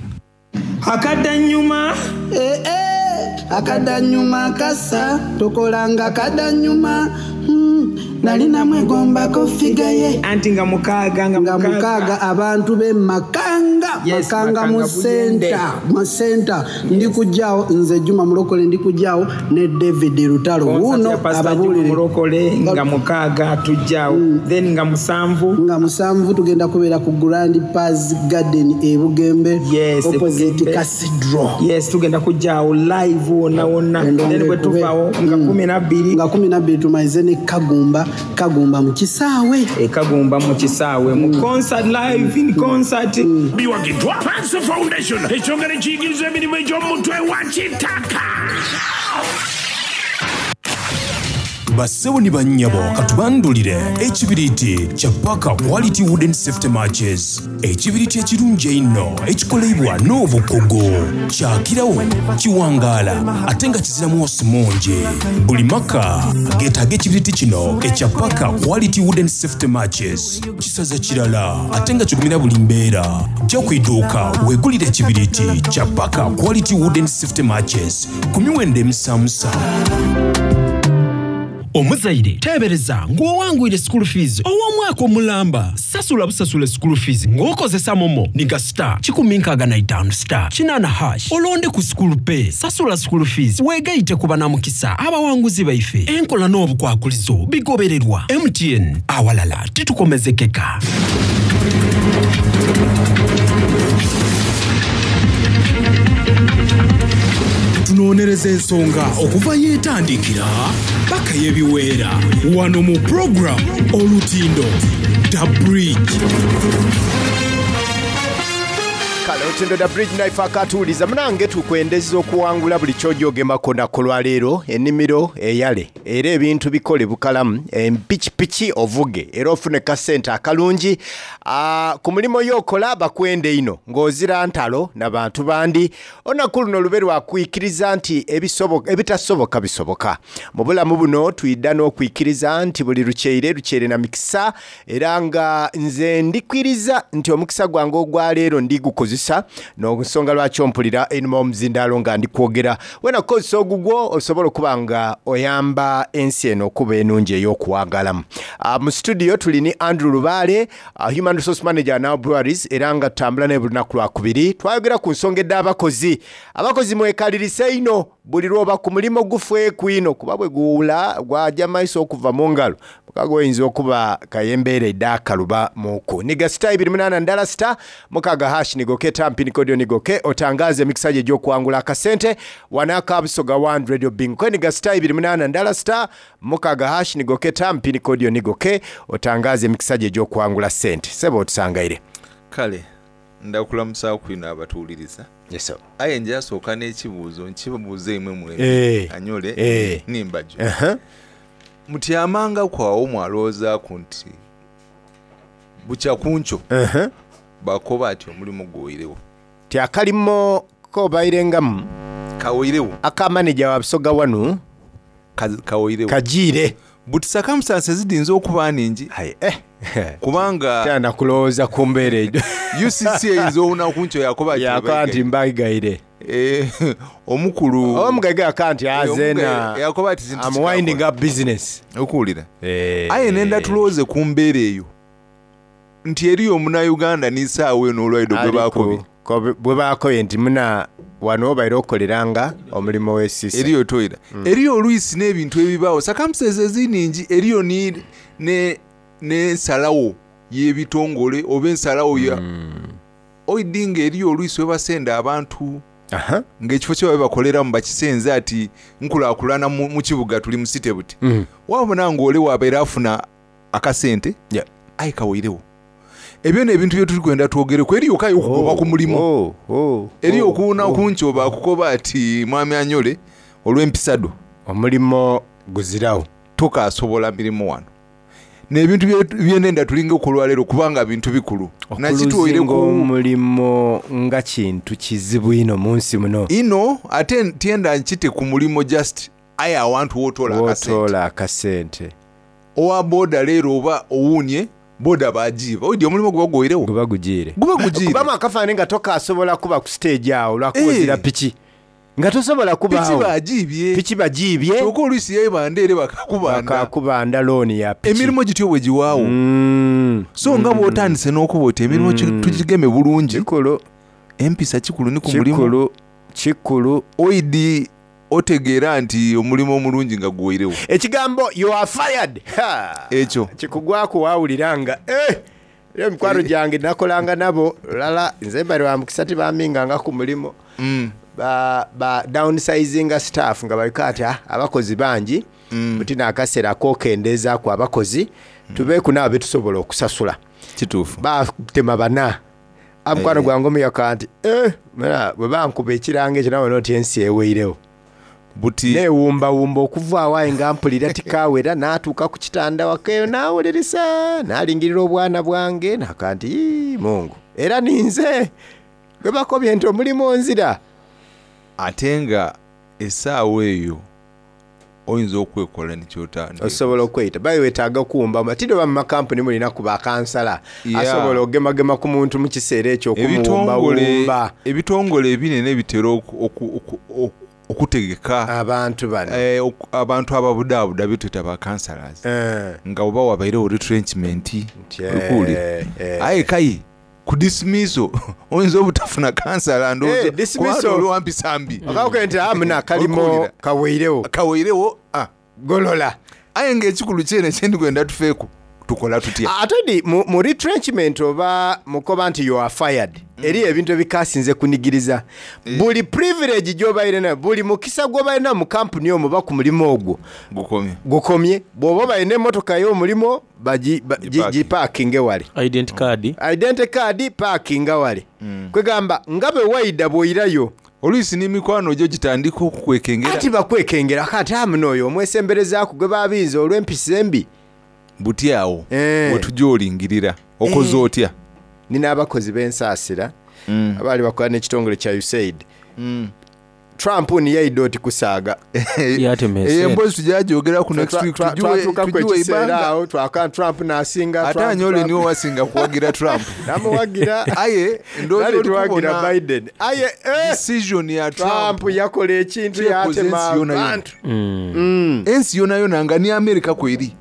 Akadanyuma. Eh, eh, akadanyuma kasa tokolanga kadanyuma. Hmm, nali namwegombako figure ye. Anti nga mukaaga. Nga mukaaga abantu be Makanga. Yes, Makanga mu Makanga senta mu senta. Ndi kujjaawo nze Juma Mulokole, ndi kujjaawo ne David Lutalo wuuno. Ababuulire Mulokole nga mukaaga tujjaawo, then nga musanvu. Nga musanvu tugenda kubeera ku Grand Paz Garden e Bugembe. Yes, opposite Bugembe. Cathedral. Yes, tugenda kujjaawo live wonna wonna. Then bwe tuvaawo nga kumi nabbiri. Nga kumi nabbiri tumalize ne Kagumba, Kagumba mu kisaawe. E Kagumba mu kisaawe mu concert, live in concert. Biwagiddwa Panso Foundation, ekyongera ekiyigiriza emirimu egy'omutwe wa kitaka. Bassebo ne bannyabo, katubandulire ekibiriiti kya Paka Quality Wooden Safety Matches, ekibiriiti ekirungi einno ekikolebwa n'obukugu, kyakirawo, kiwangaala ate nga kiziramu osi mungi. Buli maka geetaaga ekibiriiti kino ekya Paka Quality Wooden Safety Matches. Kisaza kirala ate nga kigumira buli mbeera. Jja ku idduuka weegulire ekibiriiti kya Paka Quality Wooden Safety Matches ku miwendo emisamusa. Omuzaire teebereza ng'owangwire school fees ow'omwaka omulamba. Sasula busasula school fees ng'okozesa MoMo. Niga star kikumi nkaaga na itaano star kinaana hash, olonde ku school pay. Sasula school fees weegayite ku banamukisa abawanguzi baife. Enkola n'obukwakulizo bigobererwa. M T N, awalala titukomezekeka. Tunoonyereza ensonga okuva yeetandikira paka yebiweera wano mu program Olutindo The Bridge. Kale, Olutindo Da Bridge naife akatuwuliza munange tukwendeza okuwangula buli kyojogemako nako lwaleero. Ennimiro eyale era ebintu bikole bukalamu, empikipiki ovuge era ofune kasente akalungi. Ah, ku mulimu yokola bakwende ino ng'ozira ntalo n'abantu bandi. Olunaku luno lube lwakwikiriza nti ebisoboka- ebitasoboka bisoboka mu bulamu buno. Tuyidda n'okwikiriza nti buli lukyeire lukyeire na mikisa, era nga nze ndikwiriza nti omukisa gwange ogwaleero ndigukozesa n'ensonga lwaki ompulira einuma omuzindaalo nga ndikwogera. Wena kukozesa ogugwo osobola okuba nga oyamba ensi eno okuba enungi ey'okuwagalamu. Ah, mu studio tuli ni Andrew Lubaale, ah, human resource manager Now Breweries, era nga tutambula naye buli lunaku lwakubiri. Twayogera ku nsonga ed'abakozi. Abakozi mwekalirise ino buli lwoba ku mulimu gufeeku ino, kuba bwe guwula gwajja maiso okuva mu ngalo mukago oyinza okuba kayembeera edakaluba muku. Niga star ibiri munana ndala star mukaga hash, nigoke tampi nikodio nigoke otangaze emikisa gye egy'okuwangula akasente wanaka Busoga One Radio Bingo. Niga star ibiri munana ndala star mukaga hash, nigoke tampi nikodio nigoke otangaze emikisa gye egy'okuwangula sente. Sebo, otusangaire. Kale ndakulamusaako ino abatuwuliriza. Yes, sir. Aye njasooka n'ekibuuzo nkibuuza imwe mwe Eh, anyole eh. nimbajo. Uh-huh. Mutyamanga kwawo mwalowoozaaku nti bukya kunkyo Uh-huh. bakoba ati omulimu guwirewo? Ti akalimo kobairengamu Kawirewo. Aka manager wa Busoga wanu Kawirewo. Kajiire. But circumstances zidinza okuba ningi eh. Kubanga Tana kulowooza ku mbeera ejo. U C C eyinza olunaku nkyo yakoba ati yakoba nti mbayigaire. Eh, omukulu omugaiga yaka nti Eh, azena omugaga yakoba ati zintu I'm winding up business. Okuwulira. Eh. Aye nenda tulowooze ku mbeera eyo nti eriyo omunauganda n'isaawa eno olwaido gwe Aliko, bakobye. kobe- bwe bakobye nti muna wano obaire okoleranga omulimu w'esisa. Eriyo toira Mm. eriyo oluisi n'ebintu ebibaawo, circumstances eziningi eriyo ni- ne- n'ensalawo y'ebitongole oba ensalawo ya Mm. oidi nga eriyo oluisi webasenda abantu ng'ekifo kye babe bakoleramu bakisenze ati nkulaakulana mu mu kibuga tuli mu site buti. Mm. Wabona ng'ole wabeera afuna akasente aye kawirewo. Ebyo n'ebintu bye tuli kwenda twogereku. Eriyo kayo okugoba ku mulimu, oh, eriyo okuwuna kunkyo bakukoba ati mwami anyole olw'empisado omulimu guzirawo tokasobola mirimu wano. N'ebintu bye- byenenda tulinga okulwaleero kubanga bintu bikulu. Nakitwoire Okuluzinga ku omulimo nga kintu kizibu ino mu nsi muno. Ino ate tyenda nkite ku mulimo just aye awantu wotoola akasente. Wotoola akasente. Owa boda leero oba owuunye boda bagiiba oidi omulimu guba guweirewo, guba gugiire, guba gugiire. Kubamu akafaananyi nga tokasobola kuba ku stage awo lwakuwozera Eh. piki nga tosobola piki kubaawo. bagiibye, piki bagiibye, kyokka oluisi yebanda ere bakakubanda, bakakubanda looni ya piki. Emirimu gityo bwe giwaawo. Mm. So nga bw'otandise n'okuba oti emirimu ki- tugigeme bulungi. Kikulu. Empisa kikulu ni ku mulimu. Kikulu, kikulu. Oidi otegeera nti omulimu omulungi nga guweirewo. Ekigambo "you are fired" Ha! Ekyo kikugwako wawulira nga eh, era emikwano gyange nakolanga nabo lala nze bali wa mukisa tibaminganga ku mulimu. Mm. Ba, ba downsizinga staff nga baliko ati "Ah, abakozi bangi Mm. buti nakaseera akokendeezaaku abakozi tubeeku naabo betusobola okusasula." Kituufu. Batema bana amukwano Eh. gwange omuyaka nti "Eh, muna, bwe bankuba ekirango ekyo nabona oti ensi eweirewo." Buti newumbawumba okuva awaye nga mpulira tikawera natuuka ku kitanda wakeeyo nawulirisa nalingirira obwana bwange naka nti "Ii, mungu era ninze gwe bakobye nti omulimu onzira." Ate nga essaawa eyo oyinza okwekola nekyotandika. Osobola okweyita baye wetaaga kuwumba tiri oba mu makampuni mulina kuba akansala Yeah. asobola ogemagema ku muntu mu kiseera ekyo ebitongole okumuwumbawumba. Ebitongole ebinene bitera oku- oku- oku- oku- okutegeka abantu bano, eh, oku- abantu ababudaabuda betweta ba councillors Eh. nga oba wabairewo retrenchment. eh, Okuwulira eh. aye kayi ku dismisso oyinza obutafuna kansala. Eh, dismissal. Olwampisa mbi. Okakoke nti "Ah, muna akalimo Okuwulira. kaweirewo." Kaweirewo, ah. Golola. Aye ngaekikulu kyene kyendikwenda tufeeku tukola tutya? Ate di mu, mu retrenchment oba mukoba nti "you are fired", eri ebintu ebikasinze kunigiriza buli privilege gyobaire nayo, buli mukisa gwobalina mu kampuni omwo oba ku mulimu ogwo gukomye. Gukomye. Bw'oba balina emmotoka y'omulimu bagi- ba- gi- gipaakinge wale. Identity card. Identity card paakinga wale. Kwegamba nga bwe wayida bw'oyirayo oluisi n'emikwano gyo gitandika okukwekengera. Ati bakwekengera kati amuno oyo omwesemberezaaku gwe babinza olw'empisa embi. Buti awo Eh. wetujja olingirira okoze Eh. otya? Nina abakozi b'ensaasira abaali bakola n'ekitongole kya USAID. Trump niyaidde oti kusaaga. Eyo emboozi tujagyogerako ku next week. Twa- tugiwe- twatuukaku tugiwe ekiseera ibanga. awo twaka Trump n'asinga. Ate Trump, anyole Trump. niwe wasinga kuwagira Trump. Namuwagira. Aye ndowooza Nali oli tuwagira kubona Biden. Aye eh, decision ya Trump Trump yakola ekintu kyekoze yatema ensi yona yona. abantu. Ensi yona yona nga ni Amerika kweri,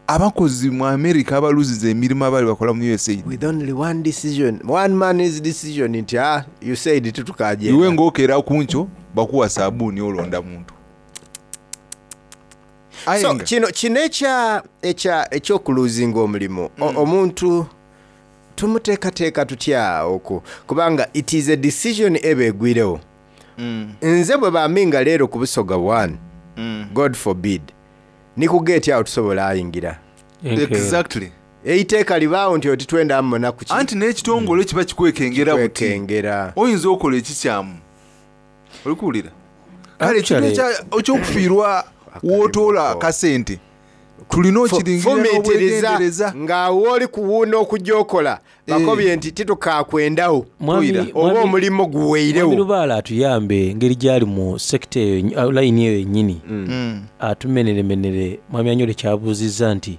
abakozi mu Amerika abaluziza emirimu abaali bakola mu USAID. With only one decision, one man's decision nti ah, USAID tetukagenda. Iwe ng'okeera ku nkyo bakuwa sabuuni olonda muntu. Aye So nga- kino kino ekya ekya ekyokuluzinga omulimu, O- omuntu tumuteekateeka tutya okwo? Kubanga it is a decision eba egwirewo. Nze bwe baminga leero ku Busoga one, God forbid, ni ku geeti awo tusobola ayingira. Exactly. Eiteeka libaawo nti otitwenda mumona ku ki. Anti n'ekitongole kiba kikwekengera buti. Kikwekengera. Oyinza okola ekikyamu olikuwulira kale ekintu Actually- ekya- ekyokufiirwa wotoola akasente tulina okiringirira Fumiitiriza n'obwegendereza. nga wooli kuwuuna okujja okola bakobye nti titukakwendawo Mwami- oba mwami- omulimu Mwami guweirewo. Lubaale atuyambe engeri gyali mu sekita eyo, layini eyo yennyini, atumeneremenere mwami Anyole kyabuuzizza nti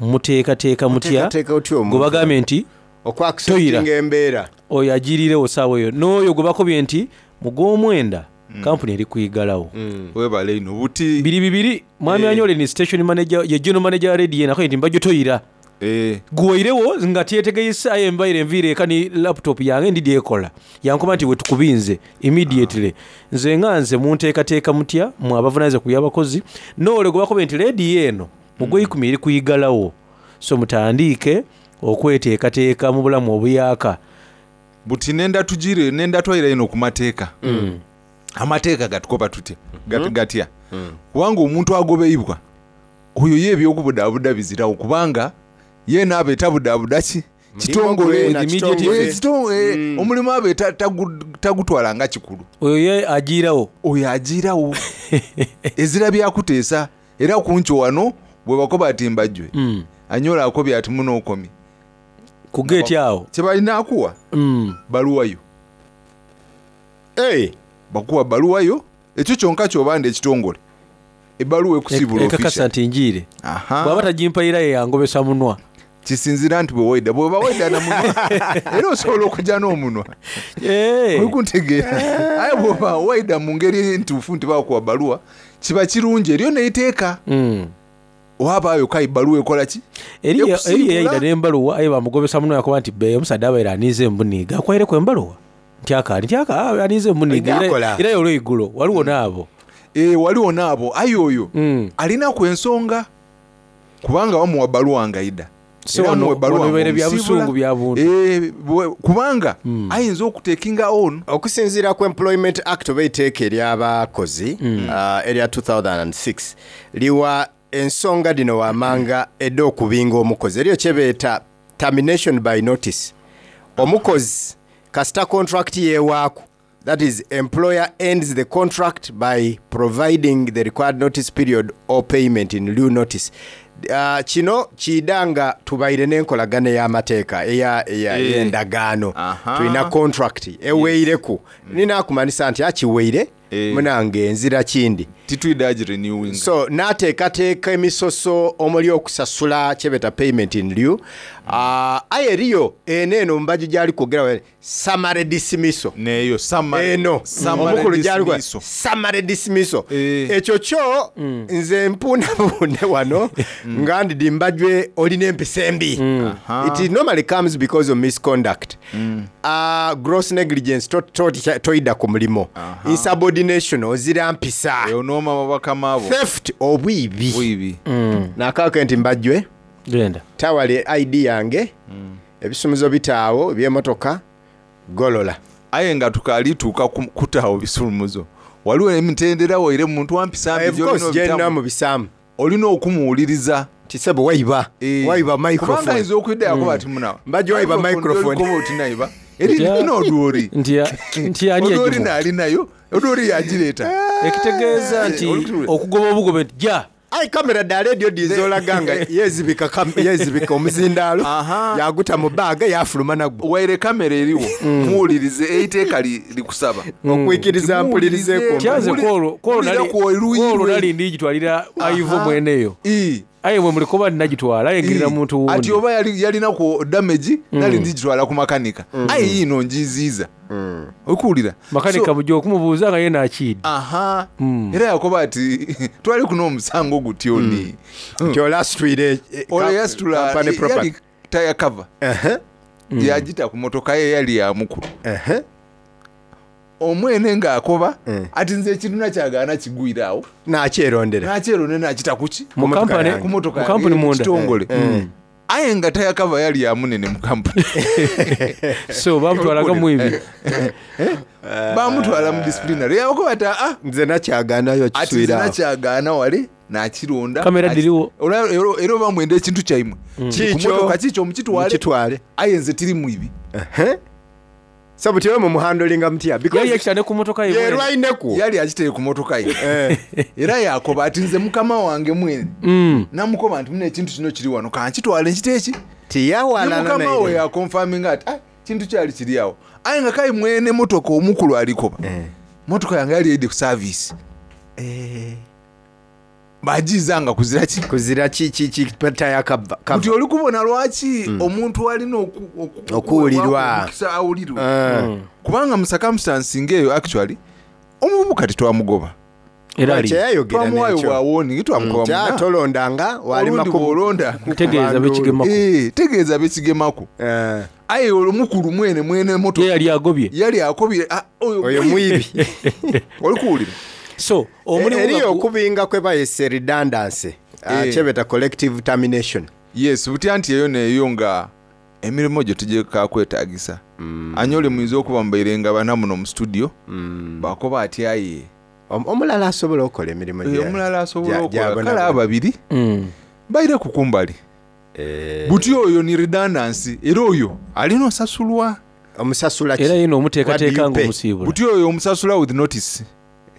muteekateeka mutya Muteekateeka otya omuntu? gwe bagambye nti Okwakusetinga embeera. Oyo agirirewo saawa eyo n'oyo gwe bakobye nti mu gw'omwenda kampuni eri kuyigalawo. Webale ino buti biri bibiri mwami Eh. Anyole ni station manager, ye general manager wa radio nako nti mbajjo toyira Eh. guweirewo nga tyetegeyisa aye embaire enviire eka ni laptop yange ndidi ekola yankuba nti wetukubinze immediately. Nze nga nze munteekateeka mutya mwe abavunanyizibwa ku byabakozi noole gwe bakobye nti lediyo eno mu gw'eikumi eri kuyigalawo, so mutandiike okweteekateeka mu bulamu obuyaka? Buti nenda tugire nenda twayira ino ku mateeka. Amateeka gatukoba tutya? Gat- gatya kubanga omuntu agobeibwa oyo ye ebyokubudaabuda bizirawo kubanga ye naaba etabudaabuda ki kitongole. gwena, kitongole. Eh, kito- eh, omulimu abe ta- tagu- tagutwala nga kikulu. Oyo ye agiirawo. Oyo agiirawo ezira byakuteesa era kunkyo wano Bwe bakoba ati mbajjwe, anyola akobye ati muno okomye ku geeti awo. Kyebalina akuwa baluwayo. Hey. Bakuwa baluwayo, ekyo kyonka kyobanda ekitongole, ebbaluwa ekusiibula. Ekakasa nti njiire. Aha. Bw'aba tagimpayira, ye yangobesa munwa. Kisinzira nti bwewaida, bweba waida na munwa, era osobola okujja n'omunwa, okuntegeera? Aye bwoba waida mu ngeri entuufu nti bakuwa baluwa, kiba kirungi. Eriyo neiteeka, wabaayo kayi baluwa ekola ki? Eri Ekusiibula. yayida n'embaluwa, aye bamugobesa munwa, yakuba nti be omusadde abaire aniize embuniiga, akwaireku embaluwa nti akaali nti aka aniize embuniiga. Era- Akola. Era olweigulo waliwo n'abo. Eh, waliwo n'abo, aye oyo alinaku ensonga, kubanga bamuwa baluwa ngaida. So Era wano- amuwa ebbaluwa wano bibaire bya ng'omusiibula. busungu, bya buntu. Eh, bwe- kubanga ayinza okutekinga on. Okusinziira ku Employment Act oba eiteeka ery'abakozi, uh, erya two thousand and six, liwa ensonga dino wamanga edda okubinga omukozi. Eriyo kyebeeta termination by notice. Omukozi kasita contract yeewaaku, that is, employer ends the contract by providing the required notice period or payment in lieu notice. Uh, kino kiida nga tubaire n'enkolagana ey'amateeka eya- eya- Eh. ey'endagaano. Aha. Tulina contract eweireku, nina akumanisa nti akiweire, munange enzira kindi. Titwida girenewing. So n'ateekateeka emisoso omuli okusasula kyebeta payment in lieu. uh, aye eriyo eno eno mubaju gyali kwogera, summary dismissal. Neyo summary- eno summary omukulu gyali dismissal. summary dismissal, ekyo kyo nze mpuunabuune wano nga ndidi mbajwe olina empisa embi. It normally comes because of misconduct, uh, gross negligence, to- to- toyida ku mulimo, insubordination, ozira mpisa, onooma bakama abo, theft, obwibi. Bwibi. Nakake nti mbajjwe genda tawale I D yange, ebisumuzo bitaawo ebyemotoka, golola. Aye nga tukalituuka ku- kutaawo bisulumuzo, waliwo emitendera waire muntu wampisa mbi Of course, gy'olina mu bisaamu olina okumuwuliriza. Tisebo waiba waiba microphone. Kubanga ayinza okwidda yakoba Mm. ati munawa Mbajje waiba microphone. Koba oti naiba eri nina odwori. Nti ani Odwori yagimuwa? naali nayo, odwori yagireeta. Ekitegeeza nti okugoba obugobe nti ja. Ai kamera dda ledio dizolaga nga yezibika kam- yezibika omuzindaalo, yaguta mu baaga, yafuluma nagwo. Waire kamera eriwo, muwulirize eiteeka li- likusaba. Okwikiriza mpulirizeeko. Kyanze kwolwo kwolwo nali- kwolwo nali ndigitwalira aivo mweneyo, aye mwe mulikoba ninagitwala, aye ngirira muntu wundi. Ati oba yali- yalinaku damage, nali ndigitwala ku makanika, aye yiino njiziiza, okuwulira? Makanika bujja okumubuuza nga ye nakiidi. Aha, era yakoba ati twali kuno omusango gutyo ni Nti olasitwire olwo yasitula company property. yali taya cover, yagita ku motoka ye yali ya mukulu omwene, ng'akoba ati nze ekintu nakyagaana kigwire awo. Nakyerondera. Nakyeronde, nakita kuki? Mu company- Ku motoka mu company yange, munda. kitongole. Mm. Aye nga taya cover yali ya munene mu kampuni. So bamutwalaga mwibi. Bamutwala mu disciplinary, yakoba ati aa, nze nakyagaanayo. Ati nze Kiswira awo. nakyagaana wale nakironda. Kamera Ati- diriwo. Olwa- era- era oba mwenda ekintu kyaimwe Kikyo. ku motoka kikyo mukitwale. Mukitwale. Aye nze tiri mwibi. So butyewe mumuhandolinga mutya? Yali yakitande ku motoka ye mwene. Yerwaineku. Yali akiteye ku motoka ye, era yakoba ati nze mukama wange mwene namukoba nti muna ekintu kino kiri wano, kankitwale nkite eki. Tiyawalana mukama naire. we yakonfaminga ati "Ah, kintu kyali kiri awo," aye nga kayi mwene motoka omukulu alikoba motoka yange yali eide ku service, bagiiza nga kuzira ki? Kuzira taya kava. Nti oli kubona lwaki omuntu alina oku- oku- Okuwulirwa. omukisa awulirwe. Mm. Kubanga mu circumstance ngaeyo actually omuvubuka tetwamugoba. Era ali. Kyeyayogera Twamuwayo n'ekyo. bwa warning, twamukoba Mm, kya muna. tolondanga walima Olundi ku- bw'olonda Tegeeza bekigemako. Eh, tegeeza bekigemaku. Eh. Aye olwo mukulu mwene mwene moto Ye yali agobye. Yali akobye, "Ah, oyo Oyo mwibi." Oli kuwulira? So omulimu eriyo nga gu- okubinga kwe bayise redundancy, ah, Eh. kyebeta collective termination. Yes, butya nti eyo neeyo nga emirimu gyo tugekakwetagisa, anyole muyinza okuba mubaire nga bana muno mu studio, bakoba ati aye Om- omulala asobola okukola emirimu Eh, gya- omulala asobola gya- okukola gyabona- kale ababiri baire kukumbali buti oyo ni redundancy, era oyo alina osasulwa. Omusasula ki? Era yina What do omuteekateeka you pay? ng'omusiibula. Buti oyo omusasula with notice.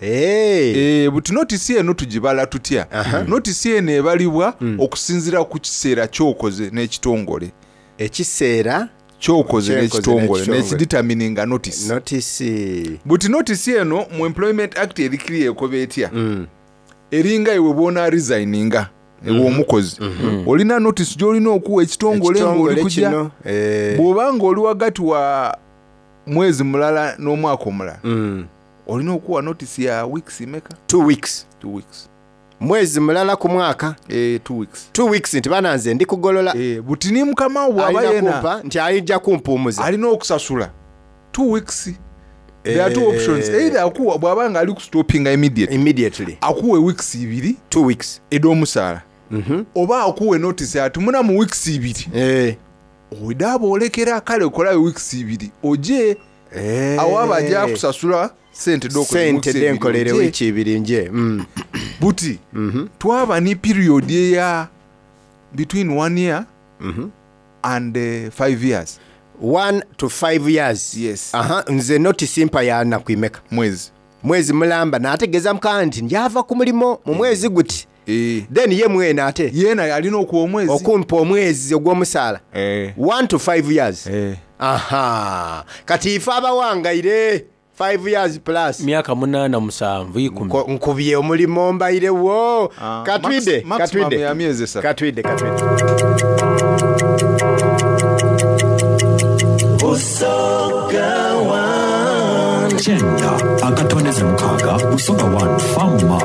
Eh, buti notisi eno tugibala tutya? Notisi eno ebalibwa okusinziira ku kiseera kyokoze n'ekitongole. Ekiseera kyokoze kyenkoze n'ekitongole n'ekitongole. nekiditamininga notisi. Notisi Buti notisi eno mu Employment Act eri clear, ekoba etya? Eringa iwe bwona resigninga, ewe omukozi, olina notisi gyolina okuwa ekitongole Ekitongole ng'oli kujja. kino, eh. Bw'oba ng'oli wagati wa mwezi mulala n'omwaka omulala, olina okuwa notisi ya weeks meka? Two weeks. Two weeks. Mwezi mulala ku mwaka. Eh, two weeks. Two weeks nti bana nze ndi kugolola. Eh, buti ni mukama wo bw'aba Alina yena kumpa nti alijja kumpumuza, alina okusasula two weeks. There are two options: either akuwa bw'aba nga ali kustopinga immediately, immediately akuwe weeks ibiri, two weeks ed'omusaala, oba akuwe notice ati muna mu weeks ibiri eh. odaaba olekera kale okolayo weeks ibiri oje, awo aba ajja kusasula sente d'okoze mu sente weeks ebiri, denkolere oje. wiiki ibiri nje. Mm. Buti twaba ni period eya between one year and uh, five years. One to five years. Yes. Aha, nze notisi mpa ya naku imeka? Mwezi. Mwezi mulamba nategeeza mukama nti njava ku mulimo mu mwezi guti, then ye mwene ate yena alina okuwa omwezi, okumpa omwezi ogw'omusaala. Eh. One to five years. Aha, kati ife abawangaire five years plus, myaka munaana, musanvu, ikumi. Nkubye omulimo mbairewo. Ah, Katwide. max- maximum Katwide. ya myezi esatu. Katwide, katwide. Kyenda akatondeze mukaaga Busoga one Fama.